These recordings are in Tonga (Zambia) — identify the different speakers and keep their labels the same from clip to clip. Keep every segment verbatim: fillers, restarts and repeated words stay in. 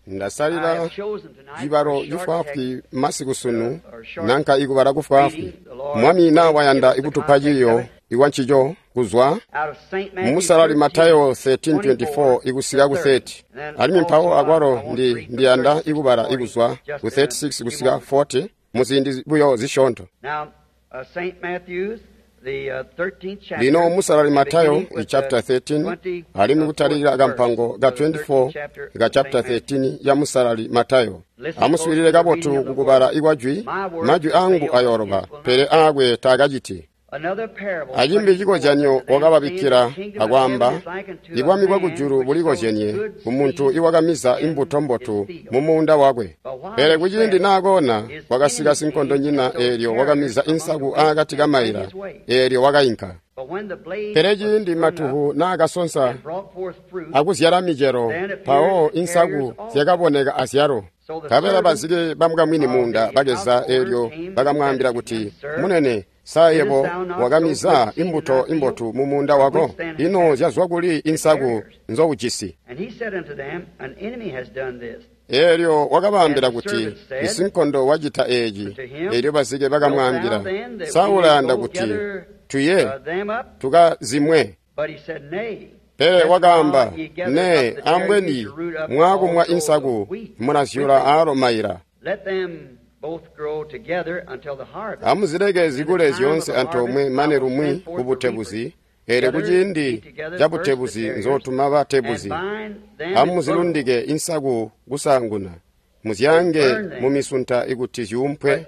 Speaker 1: Ndasalila cibalo cifwaafwi masiku sunu, nanka ikubala kufwaafwi. Mwami na wayanda ikutupa ciiyo ikwancico kuzwa mumusalali Matayo thirteen twenty-four ikusika ku thirty. Alimwi mpawo akwalo ndi ndiyanda ikubala ikuzwa ku thirty-six kusika forty muziindi buyo zisyoonto. Lino musalali Matayo chapter thirteen, alimwi kutalika kampango ka twenty-four ka chapter thirteen ya musalali Matayo. Amuswiilile kabotu kukubala ikwajwi, majwi angu ayoroba, pele aakwe taakaciti. Acimbi cikozyanyo wakababikkila akwaamba, ibwami bwakujulu bulikozyenye kumuntu iwakamiza imbuto mbotu mumuunda wakwe. Pele kuciindi naakoona, kwakasika sinkondonyina eelyo wakamiza insaku aakati kamaila, eelyo wakainka. Pele ciindi matuhu naakasonsa akuzyala micelo, mpawo insaku zyakaboneka azyalo. Nkabela bazike bamukamwini muunda bakeza eelyo bakamwaambila kuti, Munene, sa yebo wakamiza imbuto imbotu mumuunda wako? Ino zyazwa kuli insaku nzoujisi? Eelyo wakabaambila kuti, isinkondo wacita eeci. Eelyo bazike bakamwaambila, sa ulayanda kuti tuye tukazimwe? Pele wakaamba, nee, ambweni mwaakumwa insaku mulazyula aalo maila. Amuzileke zikule zyoonse antoomwe mane lumwi kubutebuzi, eelyo kuciindi cabutebuzi nzootuma batebuzi. Amuzilundike insaku kusaanguna, muzyaange mumisunta ikuti zyuumpwe,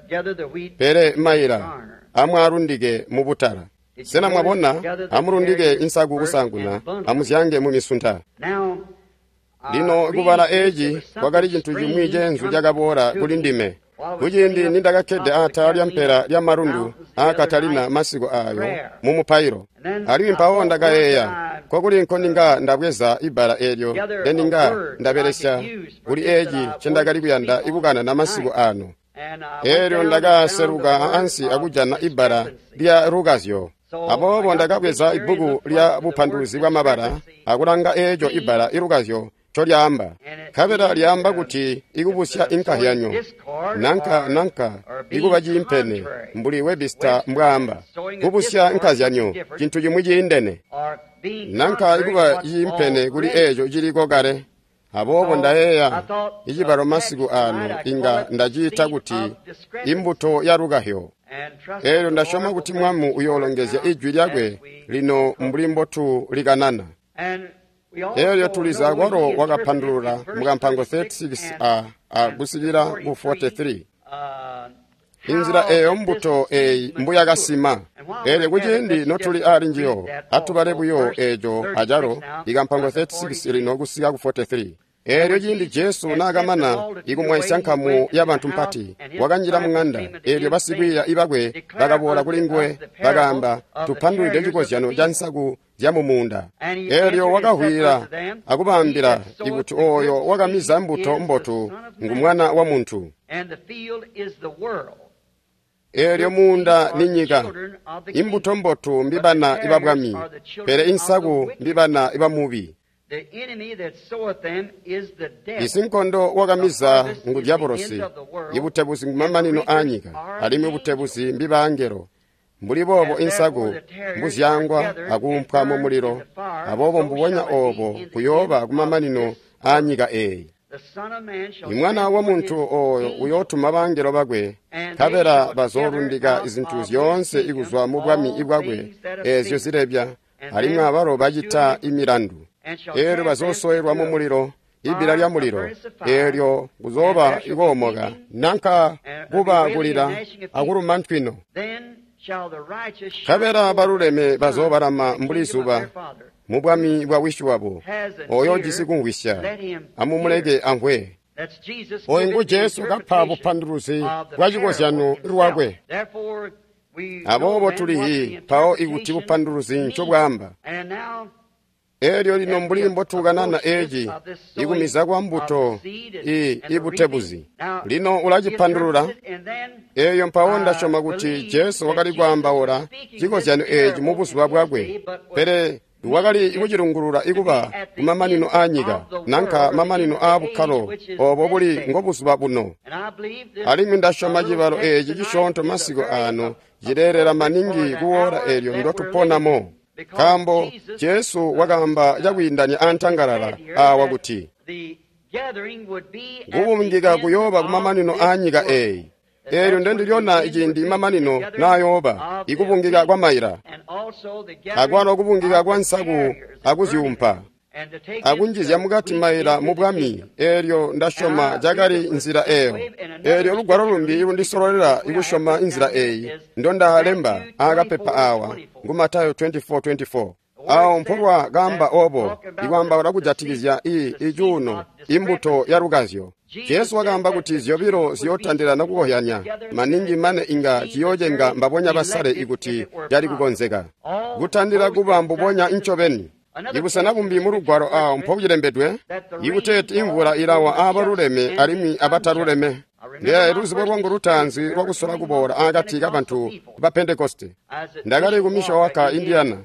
Speaker 1: pele maila amwaalundike mubutala. Sena mwabona? Amulundike insaku kusaanguna, amuzyaange mumisunta. Lino kubala eeci kwakali cintu cimwi ceenzu cakaboola kuli ndime. Kuciindi nindakakkede aatala lyampela lyamalundu aa Katalina masiku aayo mumupailo. Alimwi mpawo ndakayeeya, nkokuli nkoninga ndabweza ibbala eelyo ndendinga ndabelesya kuli eeci ncendakali kuyanda ikukanana masiku aano. Eelyo ndakaseluka ansi akujana ibbala lya lukazyo. Aboobo ndakabweza ibbuku lya bupanduluzi bwamabala akulanga eeco ibbala ilukazyo ncolyaamba. Nkabela lyaamba kuti ikubusya inkahyanyo, nanka nanka ikuba ciimpene, mbuli Webster mbwaamba. Kubusya inkazyanyo cintu cimwi ciindene, nanka ikuba ciimpene kuli eeco ciliko kale. Aboobo ndayeeya icibalo masiku aano inga ndaciita kuti imbuto ya lukahyo. Eelyo ndasyoma kuti Mwami uyoolongezya ijwi lyakwe lino mbuli mbotu likanana. Eelyo tuliza akwalo wakapandulula mukampango thirty-six a a kusikila ku forty-three. Inzila eeyo mbuto eeyi mbuyakasima. Eelyo kuciindi notuli ali njiyo, atubale buyo eeco acalo ikampango thirty-six lino kusika ku forty-three. Eelyo ciindi Jesu naakamana ikumwaisya nkamu yabantu mpati, wakanjila muŋanda. Eelyo basikwiiya ibakwe bakaboola kuli nguwe, bakaamba, tupandulwide cikozyano ca nsaku zyamumuunda. Eelyo wakahwila akubaambila ikuti ooyo wakamiza mbuto mbotu ngu Mwana wa Muntu. Eelyo muunda ni nyika. Imbuto mbotu mbibana ibabwami, pele insaku mbibana ibamubi. Isinkondo wakamiza ngu Diabolosi, ibutebuzi ngumamanino aanyika, alimwi butebuzi mbibangelo. Mbuli boobo insaku mbuzyangwa akuumpwa mumulilo, aboobo mbubonya oobo kuyooba kumamanino aanyika eeyi. Imwana wa Muntu ooyo uyootuma bangelo bakwe, nkabela bazoolundika izintu zyoonse ikuzwa mubwami bwakwe eezyo zilebya, alimwi abalo bacita imilandu. Eelyo bazoosowelwa mumulilo, ibbila lyamulilo, eelyo kuzooba ikoomoka, nanka kuba kulila akuluma ntwino. Nkabela baluleme bazoobalama mbuli zuba mubwami bwa wisi wabo. Ooyo ujisi kumvwisya, amumuleke amvwe. Ooyu ngu Jesu kapa bupanduluzi bwa cikozyano lwakwe. Aboobo tulihi mpawo ikuti bupanduluzi ncobwaamba. Eelyo lino mbuli mbotukanana eeci ikumiza kwa mbuto i ibutebuzi. Lino ulacipandulula. Eeyo mpawo ndasyoma kuti Jesu wakali kwaambaula cikozyano eeci mubuzuba bwakwe, pele Wakali kucilungulula ikuba kumamanino aanyika, nanka mamanino aabukkalo obo buli ngobuzuba buno. Alimwi ndasyoma cibalo eeci cisyoonto masiku aano cileelela maningi kuwoola eelyo ndotuponamo. Nkaambo Jesu wakaamba cakwiindanya antangalala aawa kuti kubungika kuyooba kumamanino aanyika eeyi. Eelyo ndendilyona ciindi mamanino naayooba, ikubungika kwa maila, akwalo kubungika kwa nsaku akuzyuumpa, akunjizya mukati maila mu bwami. Eelyo ndasyoma cakali nzila eeyo. Eelyo lugwalo lumbi lundisololela ikusyoma nzila eeyi ndondalemba aakapepa aawa ngu Matayo twenty-four twenty-four. Awo mpolwa kaamba obo, ikwaambaula kujatikizya i icuuno, imbuto ya lukazyo. Jesu wakaamba kuti zyobilo ziyootandilana kukohyanya, maningi mane inga ciyoocenga mbabonya basale ikuti cali kukonzeka. Kutandila kuba mbubonya ncobeni. Ibusena bumbi mu lugwalo awo mpokulembedwe, ikuteeti imvula ilawa aabaluleme alimwi abataluleme. Ndilaye luzibo lwangu lutaanzi lwakusola kuboola akati kabantu ba Pentekoste. Ndakali ku Mishawaka, Indiana.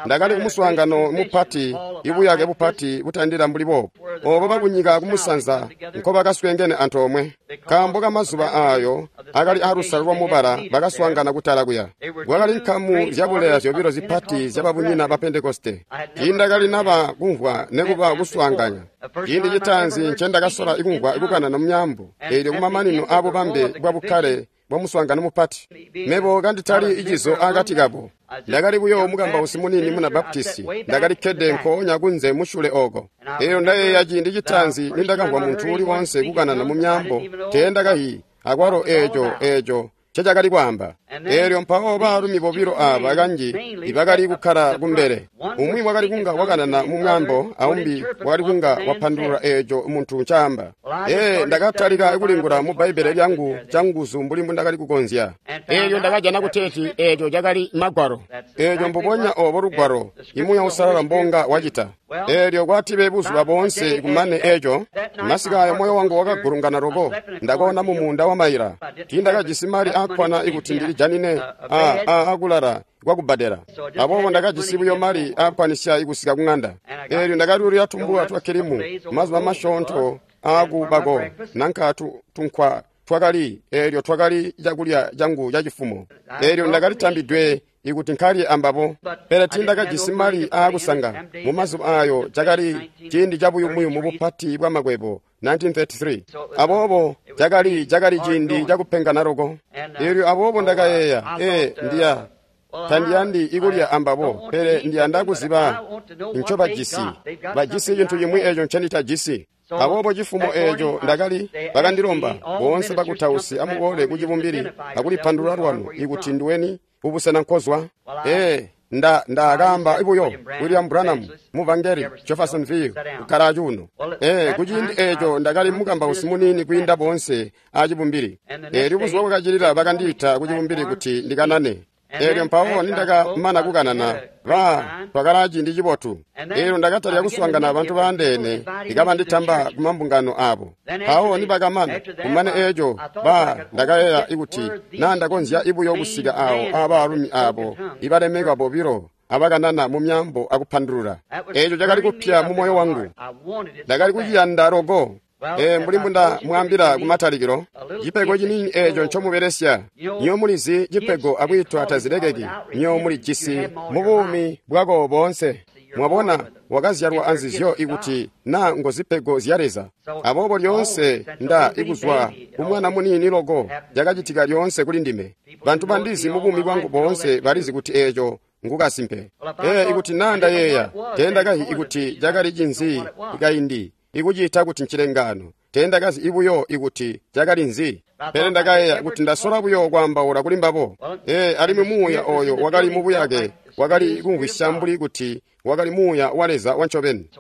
Speaker 1: Ndakali kumuswaangano mupati, ibuyake bupati butandila mbuli boobu, obo bakunyika kumusanza nkobakaswengene antoomwe. Nkaambo kamazuba aayo akali aalusalo lwa mubala bakaswaangana kutala kuya. Kwakali nkamu zyabuleya zyobilo zipati zyababunyina ba Pentekoste. Tiindakali naba kumvwa nekuba kuswaanganya. Ciindi citaanzi ncendakasola ikumvwa ikukanana mumyaambo, eelyo kumamanino aabubambe bwa bukkale bwa muswaangano mupati. Mebo kanditali icizo akati kabo. Ndakali buyo mukambausi munini muna Baptisti. Ndakali kkede nkoonya kunze musyule ooko. Eelyo ndayeeya ciindi citaanzi nindakamvwa muntu uli woonse kukanana mu myaambo, teendakayi akwalo eeco eeco ncecakali kwaamba. Eelyo mpawo baalumi bobilo aaba kanji ibakali kukkala kumbele. Umwi wakali kunga wakanana mu mwaambo, aumbi wakali kunga wapandulula eeco muntu ncaamba. Ee, ndakatalika kulingula mu Bbaibbele lyangu canguzu mbuli mbundakali kukonzya.
Speaker 2: Eelyo ndakajana kuteeti eeco cakali Magwalo.
Speaker 1: Eeco mbubonya obo lugwalo, imuuya usalala mbonga wacita. Eelyo kwatibe buzuba boonse kumane eeco, masiku ayo moyo wangu wakagulungana loko. Ndakoona mu muunda wa maila. Tiindakajisi mali aakkwana ikuti ndilijanine a a akulala kwakubbadela. Aboobo ndakajisi buyo mali aakkwanisya ikusika kuŋanda. Eelyo ndakalyuulila tumbula twa kilimu mazuba masyoonto aakubako nanka tunkwa twakali, eelyo twakali cakulya cangu cacifumo. Eelyo ndakalitambidwe ikuti nkalye ambabo, pele tiindakajisi mali aakusanga. Mumazuba aayo cakali ciindi cabuyumuyumu bupati bwa makwebo nineteen thirty-three. Aboobo cakali cakali ciindi cakupengana loko. Eelyo aboobo ndakayeeya, ee, ndiya tandiyandi ikulya ambabo, pele ndiyanda kuziba ncobajisi. Bajisi cintu cimwi eeco ncenditajisi. Aboobo cifumo eeco ndakali bakandilomba boonse bakutausi amuboole kucibumbili akulipandulula lwanu ikuti nduweni kubusena nkozwa. Ee, nda ndakaamba buyo William Branham muvangeli Jeffersonville kukkala acuuno. Ee, kuciindi eeco ndakali mukambausi munini kwiinda boonse acibumbili. Eelyo buzuba bwakacilila bakandiita kucibumbili kuti ndikanane. Eelyo mpawo nindakamana kukanana, ba twakala ciindi cibotu. Eelyo ndakatalika kuswaangana abantu baandeene ikabanditamba kumambungano aabo. Mpawo nibakamana kumane eeco, ba ndakayeeya ikuti naa ndakonzya ibuyo kusika awo aabaalumi aabo ibalemekwa bobilo abakanana mu myaambo akupandulula. Eeco cakali kupya mu moyo wangu. Ndakali kuciyanda loko. Ee, mbuli mbundamwaambila kumatalikilo, cipego ciniini eeco ncomubelesya. Nyo mulizi cipego akwiitwa tazilekeki. Nyo mulijisi mu buumi bwako boonse. Mwabona, wakazyalwa anzizyo ikuti naa ngozipego zya Leza. Aboobo lyoonse nda ikuzwa kumwana muniini loko cakacitika lyoonse kuli ndime. Bantu bandizi mu buumi bwangu boonse balizi kuti eeco ngukasimpe. Ee, ikuti naa ndayeeya, teendakayi ikuti cakali cinzi kaindi ikuciita kuti ncilengano. Teendakazi ibuyo ikuti cakali nzi. Pele ndakayeeya kuti ndasola buyo kwaambaula kuli mbabo. Ee, alimwi muuya oyo wakali mu buyake wakali kumvwisya mbuli kuti wakali muuya wa Leza wancobeni.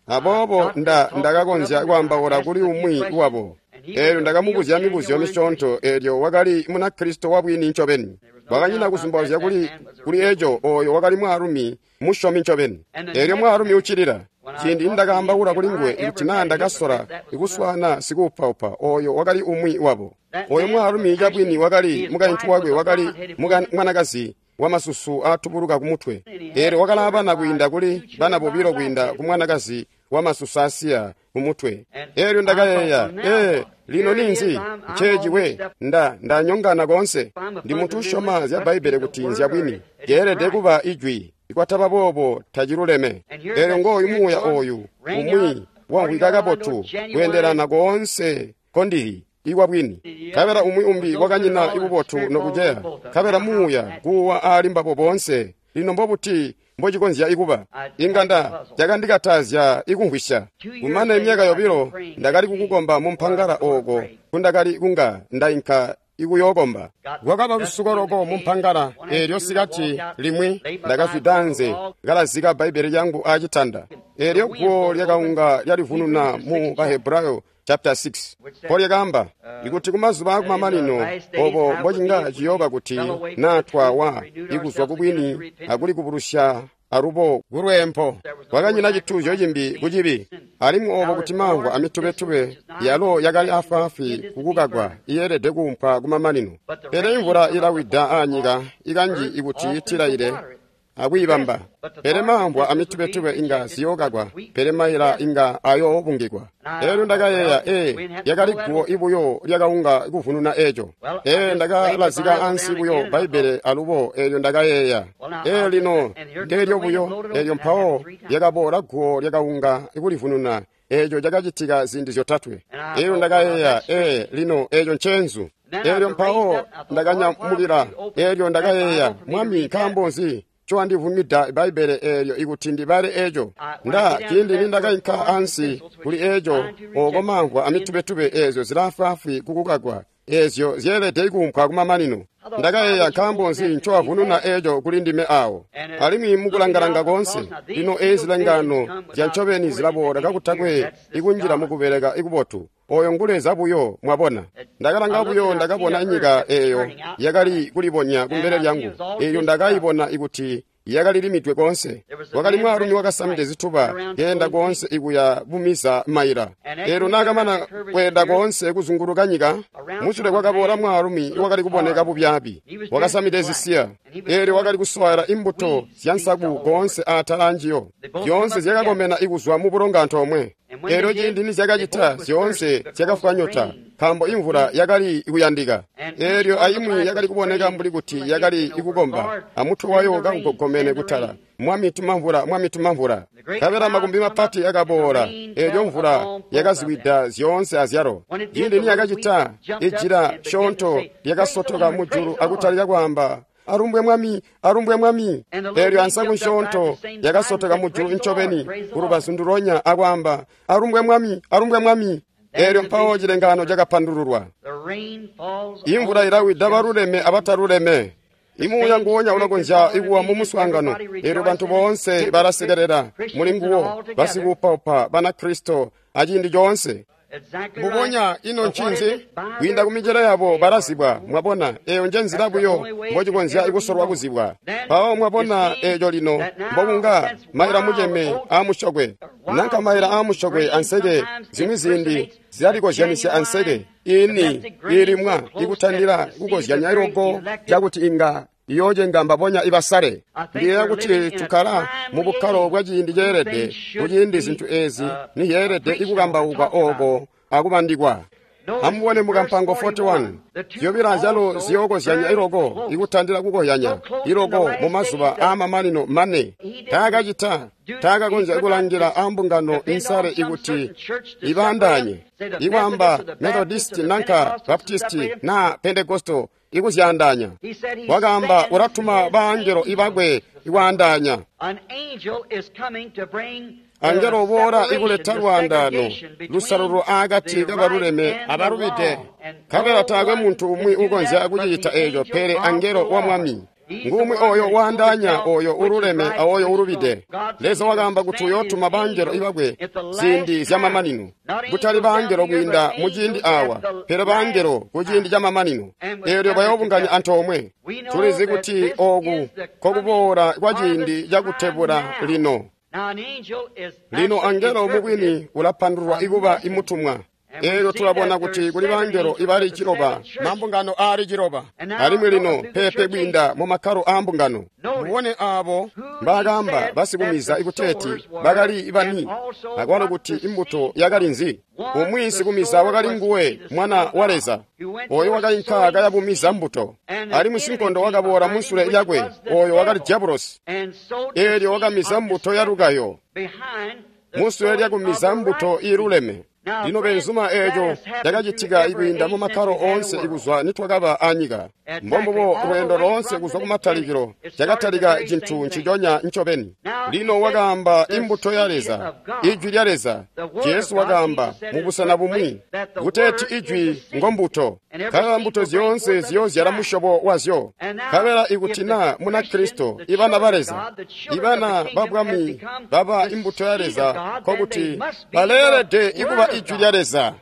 Speaker 1: Aboobo nda ndakakonzya kwaambaula kuli umwi wabo. Eelyo ndakamubuzya mibuzyo misyoonto. Eelyo wakali Munakristo wabwini ncobeni. Kwakanyina kuzumbauzya kuli kuli eeco, oyo wakali mwaalumi musyomi ncobeni. Eelyo mwaalumi uccilila. Ciindi nindakaambaula kuli nguwe ikuti naa ndakasola ikuswaana sikuupaupa, oyo wakali umwi wabo. Oyo mwaalumi cabwini wakali mukaintu wakwe wakali mwanakazi wamasusu aatubuluka kumutwe. Eelyo wakalaa bana kwiinda kuli bana bobilo kwiinda ku mwanakazi wamasusu aasiya kumutwe. Eelyo ndakayeeya, ee, lino ninzi? Nceeci we, nda ndanyongana koonse. Ndi muntu usyoma zya Bbaibbele kuti nzya bwini. Lyeelede kuba ijwi. Ikwataba boobo taciluleme. Eelyo ngooyu muuya ooyu umwi wamvwika kabotu kweendelana koonse kondili iwa bwini. Nkabela umwi umbi wakanyina ibubotu nokuceya. Nkabela muuya kuwa aali mbabo boonse. Lino mbobuti mbocikonzya ikuba? Inga nda cakandikatazya ikumvwisya. Kumane myaka yobilo ndakali kukukomba mu mpangala ooko kundakali kunga ndainka ikuyookomba. Kwakaba lusuko loko mu mpangala eelyo sikati limwi ndakazwida anze kalazika Bbaibbele lyangu aacitanda. Eelyo guwo lyakaunga lyalivununa mu Bahebrayo chapter six. Mpo lyakaamba ikuti kumazuba akumamanino obo mbocinga ciyooba kuti naa twawa ikuzwa kubwini akuli kubulusya alubo kulweempo. Kwakanyina cituuzyo cimbi kucibi, alimwi obo kuti mamvwa amitubetube yalo yakali afwaafwi kukukagwa iyeelede kuumpwa kumamanino. Pele imvula ilawida aanyika ikanji ikuti itilaile akwiibamba. Pele mamvwa amitubetube inga ziyookakwa, pele maila inga ayoobungikwa. Eelyo ndakayeeya, ee, lyakali guwo ibuyo lyakaunga kuvununa eeco. Ee, ndakalazika ansi buyo Bbaibbele alubo eelyo ndakayeeya. Ee, lino ndeelyo buyo, eelyo mpawo lyakaboola guwo lyakaunga kulivununa. Eeco cakacitika ziindi zyotatwe. Eelyo ndakayeeya, ee, lino eeco nceenzu. Eelyo mpawo ndakanyamukila. Eelyo ndakayeeya, Mwami, nkaambo nzi ncowandivumida Bbaibbele eelyo ikuti ndibale eeco? Nda ciindi nindakainka ansi kuli eeco, ooko mamvwa amitubetube eezyo zilaafwaafwi kukukakwa, eezyo zyeelede kuumpwa kumamanino. Ndakayeeya, nkaambo nzi ncowavununa eeco kuli ndime aawo? Alimwi mukulangalanga koonse, lino eezi zilengano zya ncobeni zilaboola kakutakwe ikunjila mukubeleka ikubotu. Oyo ngu Leza buyo, mwabona. Ndakalanga buyo ndakabona nyika eeyo yakali kulibonya kumbele lyangu. Eelyo ndakayibona ikuti yakali limidwe koonse. Kwakali mwaalumi wakasamide zituba keenda koonse ikuya bumiza maila. Eelyo naakamana kweenda koonse kuzunguluka nyika, musule kwakaboola mwaalumi wakali kuboneka bubyaabi, wakasamide zisiya. Eelyo wakali kuswaya imbuto zyansaku koonse aatala anjiyo. Zyoonse zyakakomena ikuzwa mubulongo antoomwe. Eelyo ciindi nizyakacita, zyoonse zyakafwa nyota, nkaambo imvula yakali kuyandika. Eelyo aimwi yakali kuboneka mbuli kuti yakali ikukomba, amutwe wayo kaugogomene kutala. Mwami tuma mvula, Mwami tuma mvula. Nkabela makumbi mapati akaboola, eelyo mvula yakaziwida zyoonse azyalo. Ciindi niyakacita, ijila syoonto lyakasotoka mujulu akutalika kwaamba, alumbwe Mwami, alumbwe Mwami. Eelyo ansaku nsyoonto yakasotoka mujulu ncobeni kulubazu ndulonya akwaamba, alumbwe Mwami, alumbwe Mwami. Eelyo mpawo cilengaano cakapandululwa. Imvula ilawida baluleme abataluleme. Imuuya nguwonya ulakonzya ikuwa mu muswaangano. Eelyo bantu boonse balasekelela muli nguwo, basikuupaupa Banakristo aciindi coonse. Mbubonya ino ncinzi? Kwiinda kumicelo yabo balazibwa, mwabona, eeyo nje nzila buyo mbocikonzya kusolwa kuzibwa. Mpawo mwabona eeco lino mbokunga maila muceme aamusyokwe. Nanka maila aamusyokwe anseke zimwi ziindi zilalikozyanisya anseke iini iilimwa ikutandila kukozyanya iloko cakuti inga iyoocenga mbabonya ibasale. Ndiyeeya kuti tukkala mu bukkalo bwa ciindi ceelede, kuciindi zintu eezi nizyeelede ikukambaukwa ooko akubandikwa. Amubone mukampango forty-one, zyobilo azyalo ziyookozyanya iloko ikutandila kukozyanya iloko mu mazuba aamamanino mane. Taakacita, taakakonzya kulangila ambungano insale ikuti ibaandaanye, ikwaamba Methodisti nanka Baptisti na Pentecostal ikuzyaandaanya. Wakaamba ulatuma baangelo ibakwe ikwaandaanya. Angelo uboola ikuleta lwaandaano lusalulwo aakati kabaluleme abalubide. Nkabela taakwe muntu umwi ukonzya kucicita eeco pele angelo wa Mwami. Ngumwi oyo waandaanya oyo ululeme aoyo ulubide. Leza wakaamba kuti uyootuma baangelo ibakwe ziindi zyamamanino, kutali baangelo kwiinda muciindi awa, pele baangelo kuciindi camamanino. Eelyo bayoobunganya antoomwe. Tulizi kuti ooku kokuboola kwa ciindi cakutebula lino. Lino angelo mubwini ulapandululwa ikuba imutumwa. Eelyo tulabona kuti kuli bangelo ibali ciloba, mambungano aali ciloba. Alimwi lino peepe kwiinda mu makkalo aa mbungano. Mubone aabo mbaakaamba basikumiza ikuteeti bakali bani, akwalo kuti imbuto yakali nzi. Umwi sikumiza wakali nguwe Mwana wa Leza, oyo wakainka kayabumiza mbuto. Alimwi sinkondo wakaboola musule lyakwe, oyo wakali Diabolosi. Eelyo wakamiza mbuto yalukayo musule lyakumiza mbuto iiluleme. Lino benzuma eeco cakacitika ikwiinda mu makkalo oonse ikuzwa nitwakaba anyika. Mbombubo lweendo loonse kuzwa kumatalikilo cakatalika cintu nciconya ncobeni. Lino wakaamba imbuto ya Leza, Ijwi lya Leza. Jesu wakaamba mubusena bumwi kuteeti Ijwi ngombuto, nkabela mbuto zyoonse ziyoozyala musyobo wazyo. Nkabela ikuti naa Munakristo, ibana ba Leza, ibana ba Bwami baba imbuto ya Leza, nkokuti baleelede ikuba Ijwi lya Leza.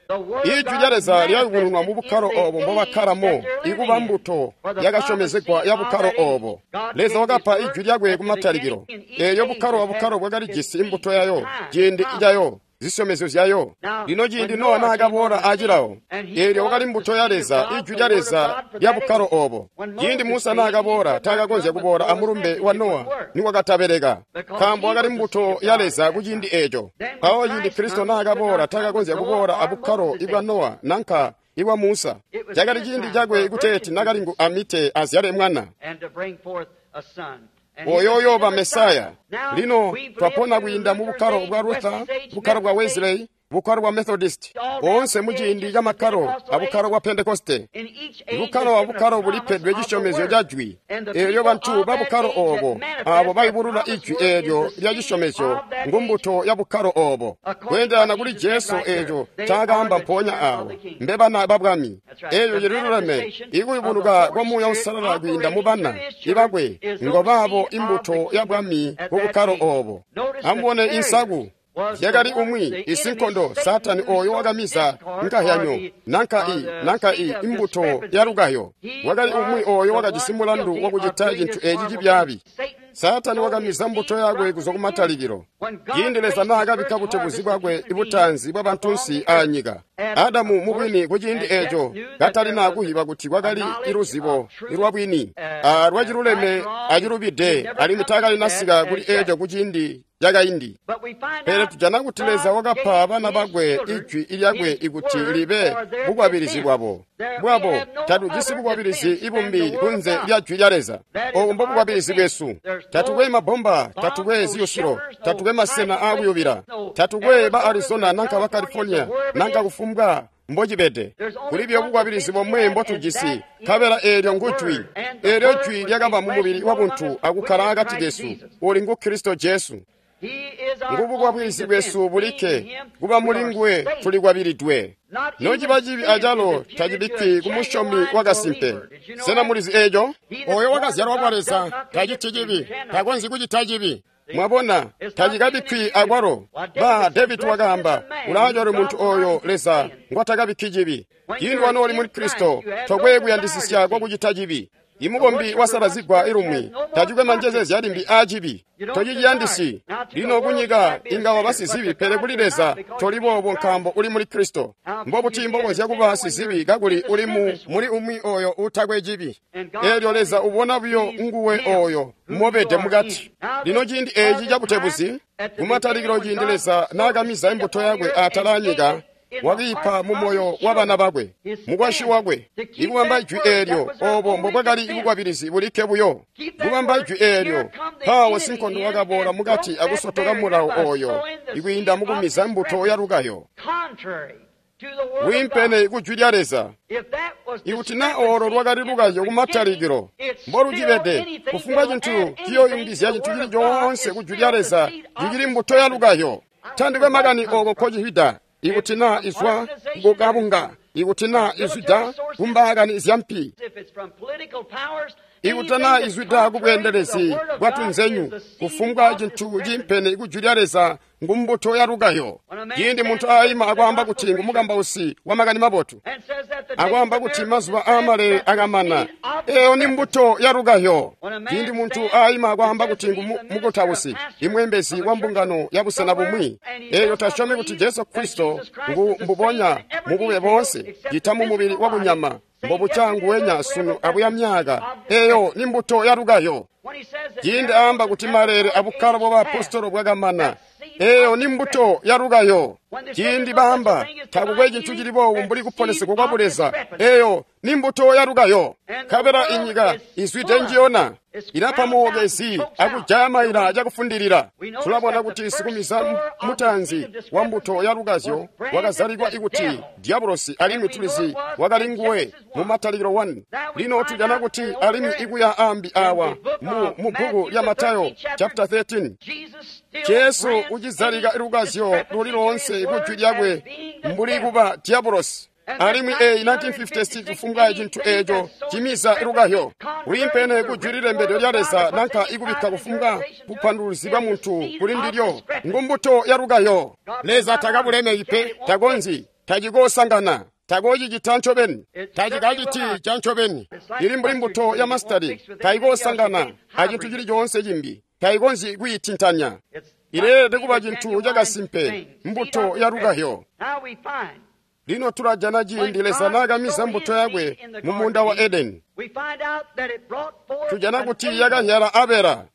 Speaker 1: Ijwi lya Leza lyayubununwa mu bukkalo oobo mbobakkalamo, ikuba mbuto yakasyomezegwa ya bukkalo oobo. Leza wakapa Ijwi lyakwe kumatalikilo. Eelyo bukkalo abukkalo bwakalijisi imbuto yayo, ciindi cayo, zisyomezyo zyayo. Lino ciindi Nowa naakaboola acilawo, eelyo wakali mbuto ya Leza, Ijwi lya Leza lya bukkalo oobo. Ciindi Musa naakaboola, taakakonzya kuboola amulumbe wa Nowa niwakatabeleka, nkaambo wakali mbuto ya Leza kuciindi eeco. Mpawo ciindi Kristo naakaboola, taakakonzya kuboola abukkalo ibwa Nowa nanka ibwa Musa. Cakali ciindi cakwe kuteeti nakalingu amite azyale mwana, oyo uyooba Mesaya. Lino twapona kwiinda mu bukkalo bwa Luther, bukkalo bwa Wesley, bukkalo bwa Methodist, boonse muciindi ca makkalo abukkalo bwa Pentekoste. Bukkalo abukkalo bulipedwe cisyomezyo ca Jwi. Eelyo bantu ba bukkalo oobo, aabo bayubulula Ijwi eelyo lya cisyomezyo, ngumbuto ya bukkalo oobo. Kweendelana kuli Jesu eeco ncaakaamba mpoonya aawo, mbe bana ba Bwami. Eelyo cililuleme, ikuyubunuka kwa Muuya Uusalala kwiinda mu bana ibakwe ngobaabo imbuto ya Bwami ku bukkalo oobo. Amubone insaku. Yakali umwi isinkondo Satani oyo wakamiza nkahyanyo nanka i nanka i imbuto yalukayo. Wakali umwi oyo wakajisi mulandu wakucita cintu eeci cibyaabi. Satani wakamiza mbuto yakwe kuzwa kumatalikilo. Ciindi Leza naakabikka butebuzi bwakwe ibutanzi bwa bantunsi aanyika, Adamu mubwini kuciindi eeco katalina kuhiba kuti kwakali iluzibo lwabwini alwaciluleme acilubide, alimwi taakalinasika kuli eeco kuciindi cakaindi. Pele tujana kuti Leza wakapa bana bakwe Ijwi lyakwe ikuti libe bukwabilizi bwabo. Bwabo tatujisi bukwabilizi ibumbi kunze lya Jwi lya Leza. Oobu mbobukwabilizi bwesu. Tatukwe mabomba, tatukwe ziyusilo, tatukwe masena aakuyubila, tatukwe ba Arizona nanka ba California nanka kufumbwa mbocibede. Kuli buyo bukwabilizi bomwe mbotujisi, nkabela eelyo ngujwi. Eelyo Jwi lyakaba mu mubili wabuntu akukkala akati kesu, uli ngu Kristo Jesu. Ngubukwabilizi bwesu bulikke, kuba muli nguwe tulikwabilidwe. Nociba cibi acalo tacibikkwi kumusyomi wakasimpe. Sena mulizi eeco? Oyo wakazyalwa kwa Leza taciti cibi, takonzyi kucita cibi. Mwabona, tacikabikkwi akwalo. Ba David wakaamba, ulaacwali muntu oyo Leza ngwatakabikki cibi. Ciindi wanooli muli Kristo, tokwe kuyandisisya kwakucita cibi. Imukombi wasalazigwa ilumwi tacikwe manjezezya limbi aacibi, tociciyandisi. Lino kunyika inga waba sizibi, pele kuli Leza toli boobo nkaambo uli muli Kristo. Mbobuti mbokonzya kuba sizibi kakuli uli mu muli umwi oyo uutakwe cibi? Eelyo Leza ubona buyo nguwe oyo mobede mukati. Lino ciindi eeci cabutebuzi, kumatalikilo ciindi Leza naakamiza imbuto yakwe atala anyika, wakiipa mu moyo wa bana bakwe, mukwasyi wakwe. Ikubamba Ijwi eelyo, oobo mbobwakali bukwabilizi bulikke buyo. Kubamba Ijwi eelyo, mpawo sinkondo wakaboola mukati akusotoka mulawo oyo, ikwiinda mukumiza mbuto yalukayo. Wiimpene ku Jwi lya Leza. Ikuti naa oolo lwakali lukayo kumatalikilo, mbolucibede, kufumbwa cintu ciyooyungizya cintu cili coonse ku Jwi lya Leza cicili mbuto yalukayo. Tandikwe makani ooko nkocihwida. Ikuti naa izwa kukabunga, ikuti naa izwida kumbaakani zyampi, ikuti naa izwida kubweendelezi bwatunzenyu, kufumbwa cintu ciimpene ku Jwi lya Leza ngumbuto ya lukazyo. Ciindi muntu aima akwaamba kuti ngumukambausi wa makani mabotu, akwaamba kuti mazuba aamale akamana, eyo ni mbuto ya lukazyo. Ciindi muntu aima akwaamba kuti ngumukutausi, imweembezi wa mbungano ya busena bumwi, eyo tasyomi kuti Jesu Kristo ngu mbubonya mubube boonse, cita mu mubili wa kunyama, mbobuca nguwenya sunu abuya myaka, eyo ni mbuto ya lukazyo. Ciindi aamba kuti malele abukkalo bwa baapostolo bwakamana, eyo ni mbuto ya lukazyo. Ciindi baamba takukwe cintu cili boobu mbuli kuponesegwa kwa buleza, eyo ni mbuto ya lukazyo. Nkabela inyika izwide njiyona, ilapa mookezi akujaya maila cakufundilila. Tulabona kuti sikumiza mutanzi wa mbuto ya lukazyo wakazalikwa ikuti Diabolosi, alimwi tulizi wakali nguwe mu Matalikilo one. Lino tujana kuti alimwi ikuya ambi awa mu mu bbuku lya Matayo chapter thirteen, Jesu ucizalika lukazyo luli loonse kujwi lyakwe mbuli kuba Diabolosi. Alimwi eyi nineteen fifty-six kufumbwa cintu eco cimiza lukazyo liimpene kujwi lilembedwe lya Leza nanka ikubikka kufumbwa bupanduluzi bwa muntu kuli ndilyo, ngumbuto ya lukazyo. Leza takabulemeki pe, takonzyi, tacikoosangana, takocicita ncobeni, tacikaciti ca ncobeni. Ili mbuli mbuto ya masitali, tayikoosangana acintu cili coonse cimbi, tayikonzyi kuyitintanya. Ileelede kuba cintu cakasimpe, mbuto ya lukazyo. Lino tulajana ciindi Leza naakamiza mbuto yakwe mu muunda wa Edeni, tujana kuti yakazyala Abela.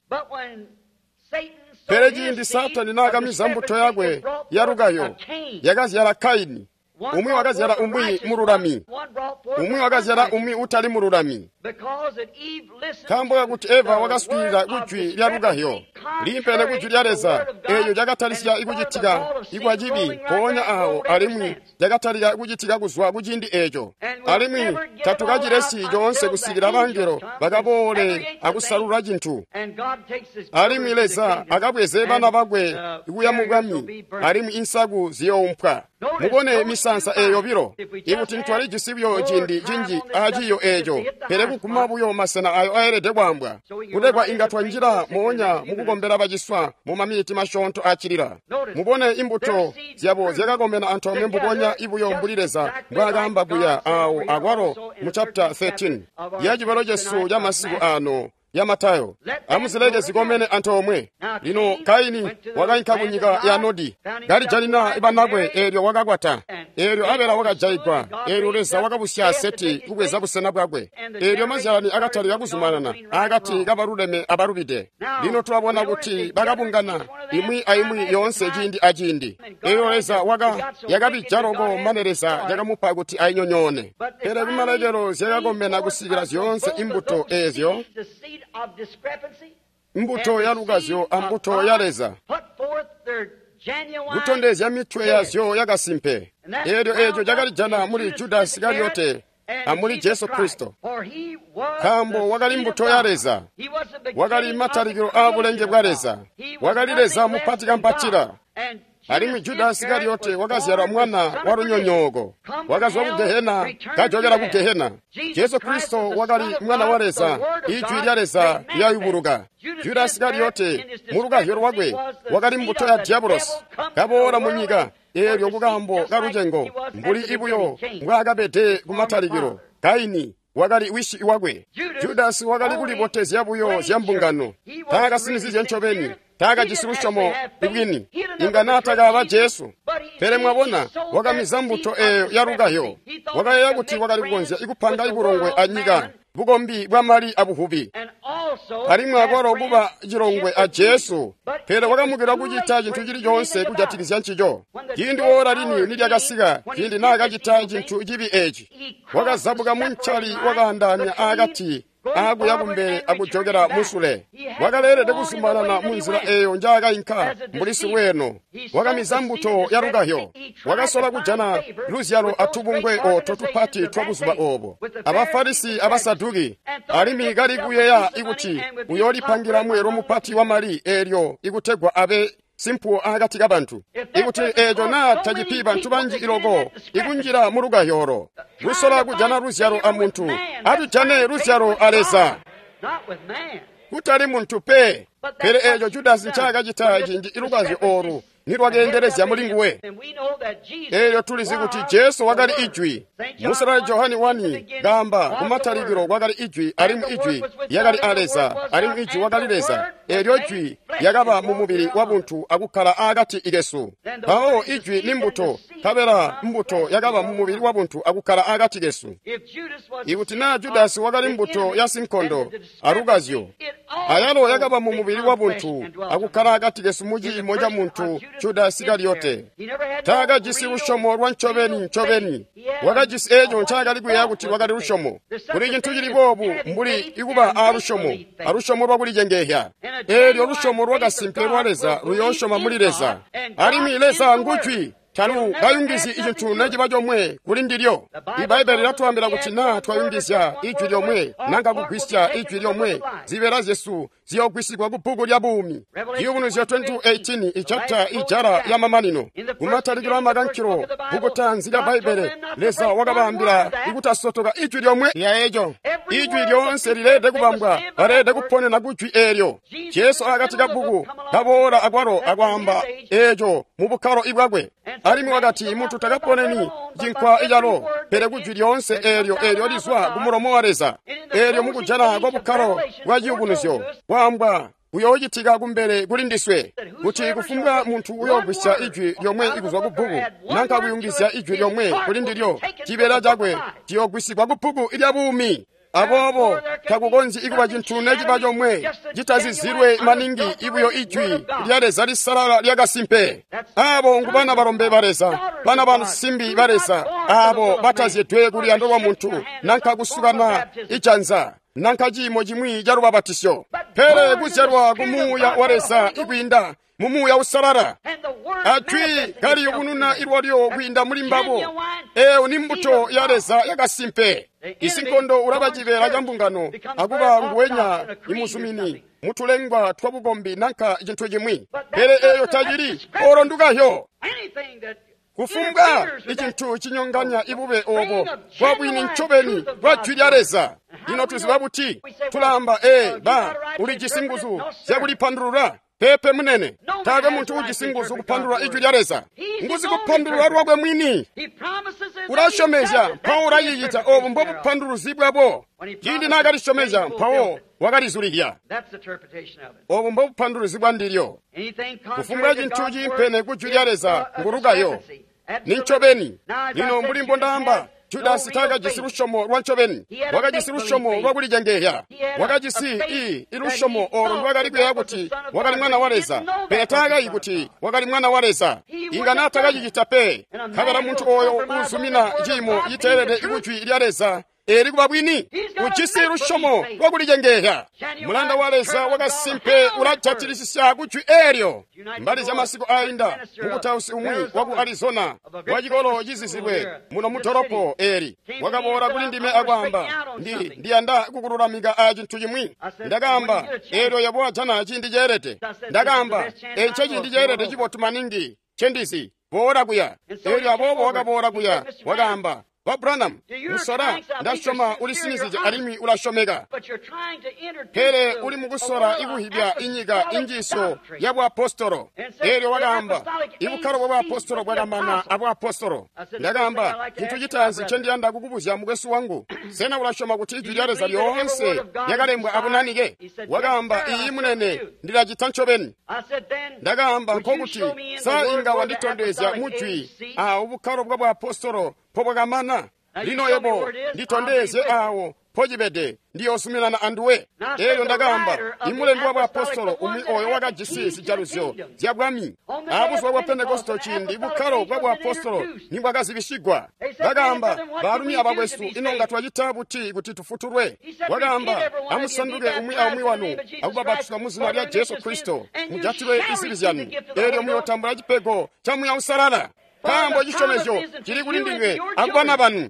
Speaker 1: Pele ciindi Saatani naakamiza mbuto yakwe ya lukazyo, yakazyala Kaini. Umwi wakazyala umwi mululami, umwi wakazyala umwi utali mululami. Nkaambo kakuti Eva wakaswiilila kujwi lya lukazyo liimpene kujwi lya Leza, eeyo cakatalisya ikucitika ikwa cibi mpoonya awo, alimwi cakatalika kucitika kuzwa kuciindi eeco. Alimwi tatukacilesyi coonse kusikila bangelo bakaboole akusalula cintu. Alimwi Leza akabweze bana bakwe kuya mu bwami, alimwi insaku ziyoumpwa. Mubone misansa eeyo bilo. Ikuti ntwalijisi buyo ciindi cinji aciiyo eeco, pele kuguma buyo masena ayo aelede kwaambwa, kutegwa inga twanjila moonya mukukombela baciswa mu maminiti masyoonto acilila. Mubone imbuto zyabo zyakakomena antoomwe mbubonya ibuyo mbuli Leza mbwaakaamba kuya awo akwalo mu chapter thirteen ya cibalo cesu ca masiku ano ya Matayo. Amuzileke zikomene antoomwe. Lino Kaini wakainka kunyika ya Nodi, kalijanina banakwe, eelyo wakakwata. Eelyo Abela wakajayigwa, eelyo Leza wakabusya Seti kubweza busena bwakwe. Eelyo mazyalani akatalika kuzumanana akati kabaluleme abalubide. Lino tulabona kuti bakabungana imwi aimwi yoonse ciindi aciindi. Eelyo Leza waka yakabija loko mane Leza yakamupa kuti ayinyonyoone. Pele kumalekelo zyakakomena kusikila zyoonse imbuto eezyo, mbuto ya lukazyo ambuto ya Leza, kutondezya mitwe yazyo yakasimpe. Eelyo eeco cakalijana muli Judasi Isikariyote amuli Jesu Kristo, nkaambo wakali mbuto ya Leza, wakali matalikilo aabulenge bwa Leza, wakali Leza mupati kampatila. Alimwi Judasi Isikariyote wakazyalwa mwana wa lunyonyooko, wakazwa ku Gehena kajokela ku Gehena. Jesu Kristo wakali mwana wa Leza, ijwi lya Leza lyayubuluka. Judasi Isikariyote mu lukazyo lwakwe wakali mbuto ya Diabolosi, kaboola mu nyika eelyo kukaambo kalucengo mbuli ibuyo mbwaakabede kumatalikilo. Kaini wakali wisi wakwe. Judasi wakali kulibotezya buyo zya mbungano, taakasinizizye ncobeni, taakajisi lusyomo bwini, inga naatakaba Jesu. Pele mwabona, wakamiza mbuto eeyo ya lukazyo. Wakayeeya kuti wakali kukonzya ikupanga ibulongwe anyika, bukombi bwa mali abuvubi, alimwi akwalo kuba cilongwe a Jesu. Pele wakamukila kucita cintu cili coonse kujatikizya ncico. Ciindi woola lini nilyakasika, ciindi naakacita cintu cibi eeci, wakazabuka muncali wakaandaanya akati akuya kumbele akujokela musule. Wakaleelede kuzumanana mu nzila eeyo njaakainka mbuli silweeno. Wakamiza mbuto ya lukazyo. Wakasola kujana luzyalo atubungwe ooto tupati twa buzuba oobo, Abafarisi Abasaduki, alimwi kali kuyeeya ikuti uyoolipangila mweelo mupati wa mali eelyo ikutegwa abe simpuwo akati kabantu. Ikuti eeco naa tacipi bantu banji iloko ikunjila mu lukazyo, kusola kujana luzyalo amuntu, atujane luzyalo a Leza, kutali muntu pe. Pele eeco Judasi ncaakacita ciindi ilukazyo oolu nilwakeendelezya mulinguwe. Eelyo tulizi kuti Jesu wakali Ijwi. Musalali Johani wani kaamba kumatalikilo kwakali Ijwi, alimwi Ijwi lyakali a Leza, alimwi Ijwi wakali Leza. Eelyo Jwi lyakaba mu mubili wabuntu akukkala aakati kesu. Mpawo Ijwi ni mbuto, nkabela mbuto yakaba mu mubili wabuntu akukkala aakati kesu. Ikuti naa Judasi wakali mbuto ya sinkondo alukazyo, ayalo yakaba mu mubili wabuntu akukkala akati kesu mu ciimo ca muntu Judasi Isikariyote. Taakajisi lusyomo lwa ncobeni ncobeni. Wakajisi eeco ncaakali kuyeeya kuti lwakali lusyomo. Kuli cintu cili boobu mbuli ikuba aalusyomo, alusyomo lwakulicengehya. Eelyo lusyomo lwakasimpe lwa Leza luyoosyoma muli Leza. Alimwi Leza ngujwi. Talu kayungizyi icintu neciba comwe kuli ndilyo. Ibbaibbele lilatwaambila kuti naa twayungizya ijwi lyomwe nanka kugwisya ijwi lyomwe, zibeela zyesu ziyoogwisigwa ku bbuku lya buumi. Ciyubunuzyo twenty-two eighteen, ichapta ijala ya mamanino. Kumatalikilo amakankilo, bbuku taanzi lya Bbaibbele, Leza wakabaambila ikutasotoka ijwi lyomwe lya eco. Ijwi lyoonse lileelede kubambwa, baleelede kuponena ku jwi eelyo. Jesu akati ka bbuku kaboola akwalo akwaamba eeco mu bukkalo ibwakwe. Alimwi wakati muntu takaponeni cinkwa icalo, pele kujwi lyoonse eelyo eelyo lizwa ku mulomo wa Leza. Eelyo mukujala kwa bukkalo bwa ciyubunuzyo kwaambwa kuyoocitika kumbele kuli ndiswe, kuti kufumbwa muntu uyoogwisya ijwi lyomwe ikuzwa ku bbuku nanka kuyungizya ijwi lyomwe kuli ndilyo, cibeela cakwe ciyoogwisigwa ku bbuku lya buumi. Aboobo takukonzyi ikuba cintu neciba comwe citazizilwe maningi ibuyo ijwi lya Leza lisalala lyakasimpe. Aabo ngu bana balombe ba Leza, bana basimbi ba Leza, aabo batazyedwe kuluyando lwa muntu nanka kusukana ijanza nanka ciimo cimwi ca lubabatisyo, pele kuzyalwa ku Muuya wa Leza ikwiinda mu Muuya Usalala, ajwi kaliyubununa ilwalyo kwiinda muli mbabo. Eeyo ni mbuto ya Leza yakasimpe. Isinkondo ulaba cibeela ca mbungano akuba nguwenya imuzumini mutulengwa twa bukombi nanka cintu cimwi, pele eeyo tacili olo ndukahyo. Kufumbwa icintu cinyonganya ibube obo bwa bwini ncobeni bwa jwi lya Leza. Lino tuziba buti? Tulaamba, ee, ba ulijisi nguzu zyakulipandulula. Pepe munene, taakwe muntu ujisi nguzu kupandulula ijwi lya Leza. Nguzu kupandulula lwakwe mwini. Ulasyomezya mpawo ulacicita. Obu mbobupanduluzi bwabo. Ciindi naakalisyomezya mpawo wakalizulihya. Obu mbobupanduluzi bwa ndilyo. Kufumbwa cintu ciimpene ku jwi lya Leza ngulukayo. Ni ncobeni. Lino mbuli mbondaamba, Judasi taakajisi lusyomo lwa ncobeni. Wakajisi lusyomo lwakulicengehya. Wakajisi i ilusyomo olo ndwakali kuyeeya kuti wakali mwana wa Leza, pele taakayi kuti wakali mwana wa Leza. Inga naatakacicita pe. Nkabela muntu oyo uuzumina ciimo citeelede ikujwi lya Leza eeli kuba bwini, ujisi lusyomo lwakulicengehya. Mulanda wa Leza wakasimpe ulajatilisisya kujwi eelyo. Mbali zya masiku ainda, mukutausi umwi waku Arizona wa cikolo cizizilwe muno mu dolopo eeli wakaboola kuli ndime akwaamba, ndi ndiyanda kukululamika a cintu cimwi. Ndakaamba, eelyo yebo wajana ciindi ceelede. Ndakaamba, eco ciindi ceelede cibotu maningi cendizi, boola kuya. Eelyo aboobo wakaboola kuya, wakaamba, Ba Branham, musola, ndasyoma ulisinizije alimwi ulasyomeka. Pele uli mukusola ikuhibya inyika injiisyo ya buapostolo. Eelyo wakaamba, ibukkalo bwa buapostolo bwakamana abuapostolo. Ndakaamba, cintu citaanzi ncendiyanda kukubuzya mukwesu wangu, sena ulasyoma kuti ijwi lya Leza lyoonse lyakalembwa abunanike? Wakaamba, iiyi munene, ndilacita ncobeni. Ndakaamba, nkokuti sa inga wanditondezya mujwi awo bukkalo bwa buapostolo mpobwakamana? Lino yebo nditondezye awo mpocibede, ndiyoozuminana anduwe. Eelyo ndakaamba, imulembi wa buapostolo umwi oyo wakajisi zijaluzyo zya bwami abuzuba bwa Pentekosto ciindi bukkalo bwa buapostolo nibwakazibisigwa. Bakaamba, baalumi abakwesu, ino nga twacita buti kuti tufutulwe? Wakaamba, amusanduke umwi aumwi wanu akubabatiswa mu zina lya Jesu Kristo, mujatilwe izibi zyanu, eelyo muyootambula cipego ca Muuya Uusalala. Nkaambo cisyomezyo cili kuli ndinywe akubana banu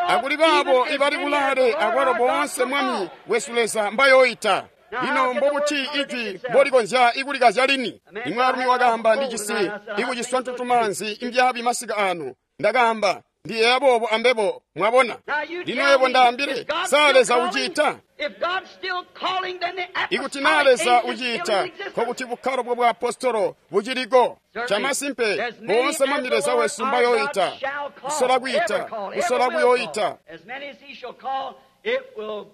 Speaker 1: akuli baabo ibali kulaale akwalo boonse Mwami wesu Leza mbayooita. Lino mbobuti ijwi mbolikonzya ikulikazya lini? Imwaalumi wakaamba, ndijisi ikuciswa ntutumaanzi imbyaabi masiku aanu. Ndakaamba, Ndiyeeya boobo ambebo, mwabona. Lino yebo ndaambile, sa Leza uciita? Ikuti naa Leza uciita, nkokuti bukkalo bwa bwaapostolo buciliko. Chamasimpe, boonse Mwami Leza wesu mbayoita, kusola kwiita, kusola kuyoita.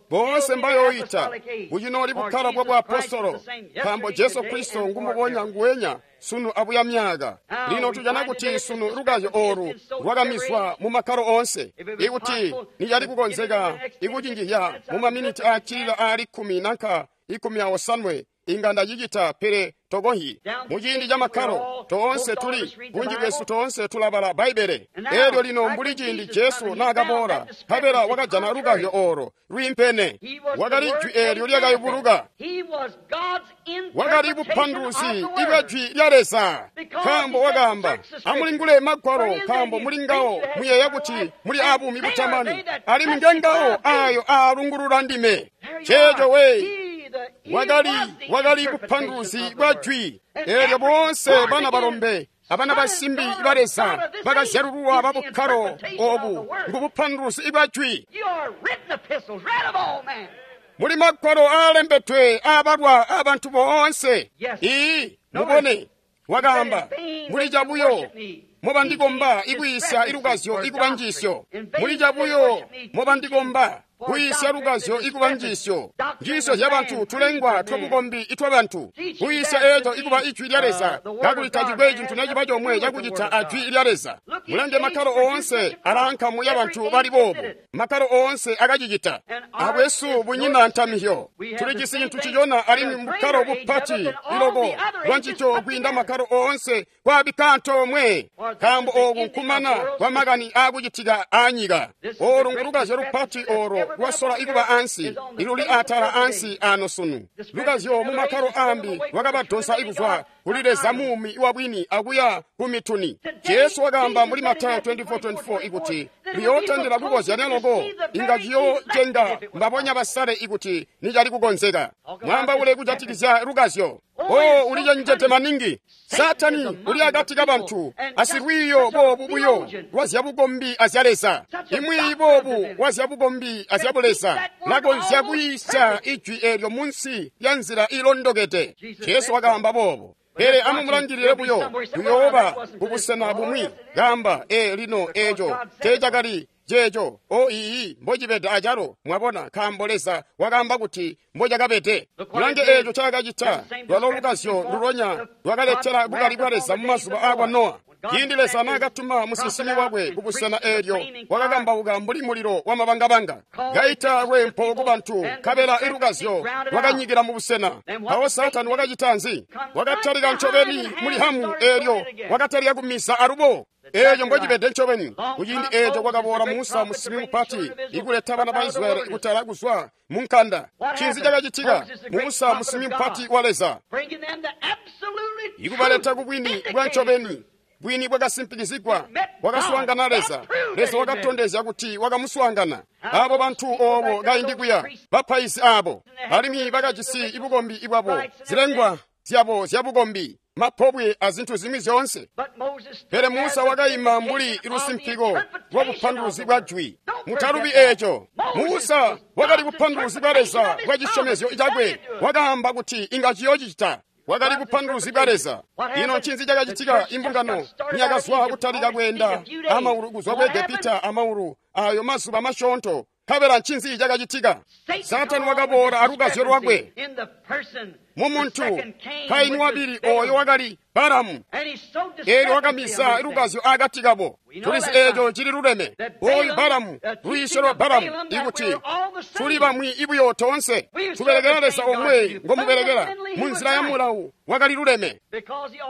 Speaker 1: Boonse mbayoita, bucinooli bukkalo bwa bwaapostolo, nkaambo Jesu Kristo ngumubonya nguwenya sunu abuya myaka. Lino tujana kuti sunu lukazyo oolu lwakamizwa mu makkalo oonse. Ikuti nicali kukonzeka ikucinjihya mu maminiti aacilila aali kkumi nanka ikumi awosanwe, inga ndacicita, pele tokohi. Muciindi ca makkalo toonse tuli bunji bwesu toonse tulabala Bbaibbele. Elyo lino mbuli ciindi Jesu naakaboola, nkabela wakajana lukazyo oolo lwiimpene. Wakali jwi eelyo lyakayubuluka. Wakali bupanduluzi ibwa jwi lya Leza, nkaambo wakaamba, amulingule Magwalo, nkaambo muli ngawo muyeeya kuti muli abuumi butamani, alimwi ngengawo ayo aalungulula ndime. Ceeco we wakali wakali bupanduluzi bwa jwi. Eelyo boonse bana balombe abana basimbi ba Leza bakazyalululwa babukkalo obu ngubupanduluzi bwa jwi. Muli magwalo aalembedwe aabalwa abantu boonse. Ii, mubone, wakaamba, muli cabuyo mobandikomba ikwiisya ilukazyo ikuba njiisyo. Muli cabuyo mobandikomba kwiisya lukazyo ikuba njiisyo. Njiisyo zyabantu tulengwa twabukombi itwabantu. Kwiisya eeco ikuba ijwi lya Leza, kakuli tacikwe cintu neciba comwe cakucita ajwi lya Leza. Mulange makkalo oonse alaankamu yabantu bali boobu. Makkalo oonse akacicita. Abwesu bunyina ntamihyo. Tulijisi cintu cicona alimwi mubukkalo bupati iloko lwancico kwiinda makkalo oonse kwaabikka antoomwe. Nkaambo ooku nkumana kwamakani aakucitika aanyika. Oolu ngulukazyo lupati oolo lwasola ikuba ansi, iluli atala ansi ano sunu. Lukazyo mu makkalo ambi lwakabadonsa ikuzwa kuli Leza muumi wabwini akuya ku mituni. Jesu wakaamba muli Matayo twenty-four twenty-four ikuti liyootandila kukozyanya loko, inga ciyoocenga mbabonya basale ikuti nicali kukonzeka. Mwaambaule kujatikizya lukazyo. Oh, ulicenjede maningi. Satani uli akati kabantu asilwiiyo boobu buyo lwazyabukombi azya Leza. Imwi boobu lwazyabukombi azyabuleza lakonzya kwiisya ijwi eelyo munsi lya nzila ilondokede. Jesu wakaamba boobo. Pele amumulangilile buyo, kuyooba kubusena bumwi. Kaamba, ee lino eeco teecakali ceeco. O iiyi, mbocibede acalo, mwabona, nkaambo Leza wakaamba kuti mbocakabede. Mulange eeco cakacita, lwalo lukazyo lulonya lwakaletela bukali bwa Leza mu mazuba aakwa Nowa. Ciindi Leza naakatuma musinsimi wakwe kubusena eelyo, wakakambauka mbuli mulilo wamabangabanga, kaita lweempo kubantu, nkabela ilukazyo lwakanyikila mubusena. Mpawo Saatani wakacita nzi? Wakatalika ncobeni muli Hamu eelyo, wakatalika kumisa alubo. Eeco mbocibede ncobeni. Kuciindi eeco kwakaboola Musa musinsimi mupati ikuleta bana ba Israyeli kutala kuzwa mu nkanda. Ncinzi cakacitika? Musa musinsimi mupati wa Leza ikubaleta kubwini bwa ncobeni, bwini bwakasimpikizigwa, wakaswaangana Leza. Leza wakatondezya kuti wakamuswaangana. Abo bantu oobo kaindi kuya, bapaizi aabo, alimwi bakajisi ibukombi ibwabo, zilengwa zyabo zyabukombi, mapobwe azintu zimwi zyoonse. Pele Musa wakaima mbuli lusimpiko lwa bupanduluzi bwa jwi. Mutalubi eeco. Musa wakali bupanduluzi bwa Leza bwa cisyomezyo cakwe. Wakaamba kuti inga ciyoocita. Wakali bupanduluzi bwa Leza. Ino ncinzi cakacitika? Imbungano niyakazwa kutalika kweenda amaulu kuzwa ku Egepita amaulu ayo mazuba masyoonto. Nkabela ncinzi cakacitika? Saatani wakaboola alukazyo lwakwe mumuntu Kaini wabili ooyo wakali Balamu. Eelyo wakamisa lukazyo akati kabo. Tulizi eeco cili luleme. Ooyu Balamu, lwiisyo lwa Balamu, ikuti tuli bamwi ibuyo toonse, tubelekela Leza omwe ngomubelekela munzila ya mulawu, wakali luleme.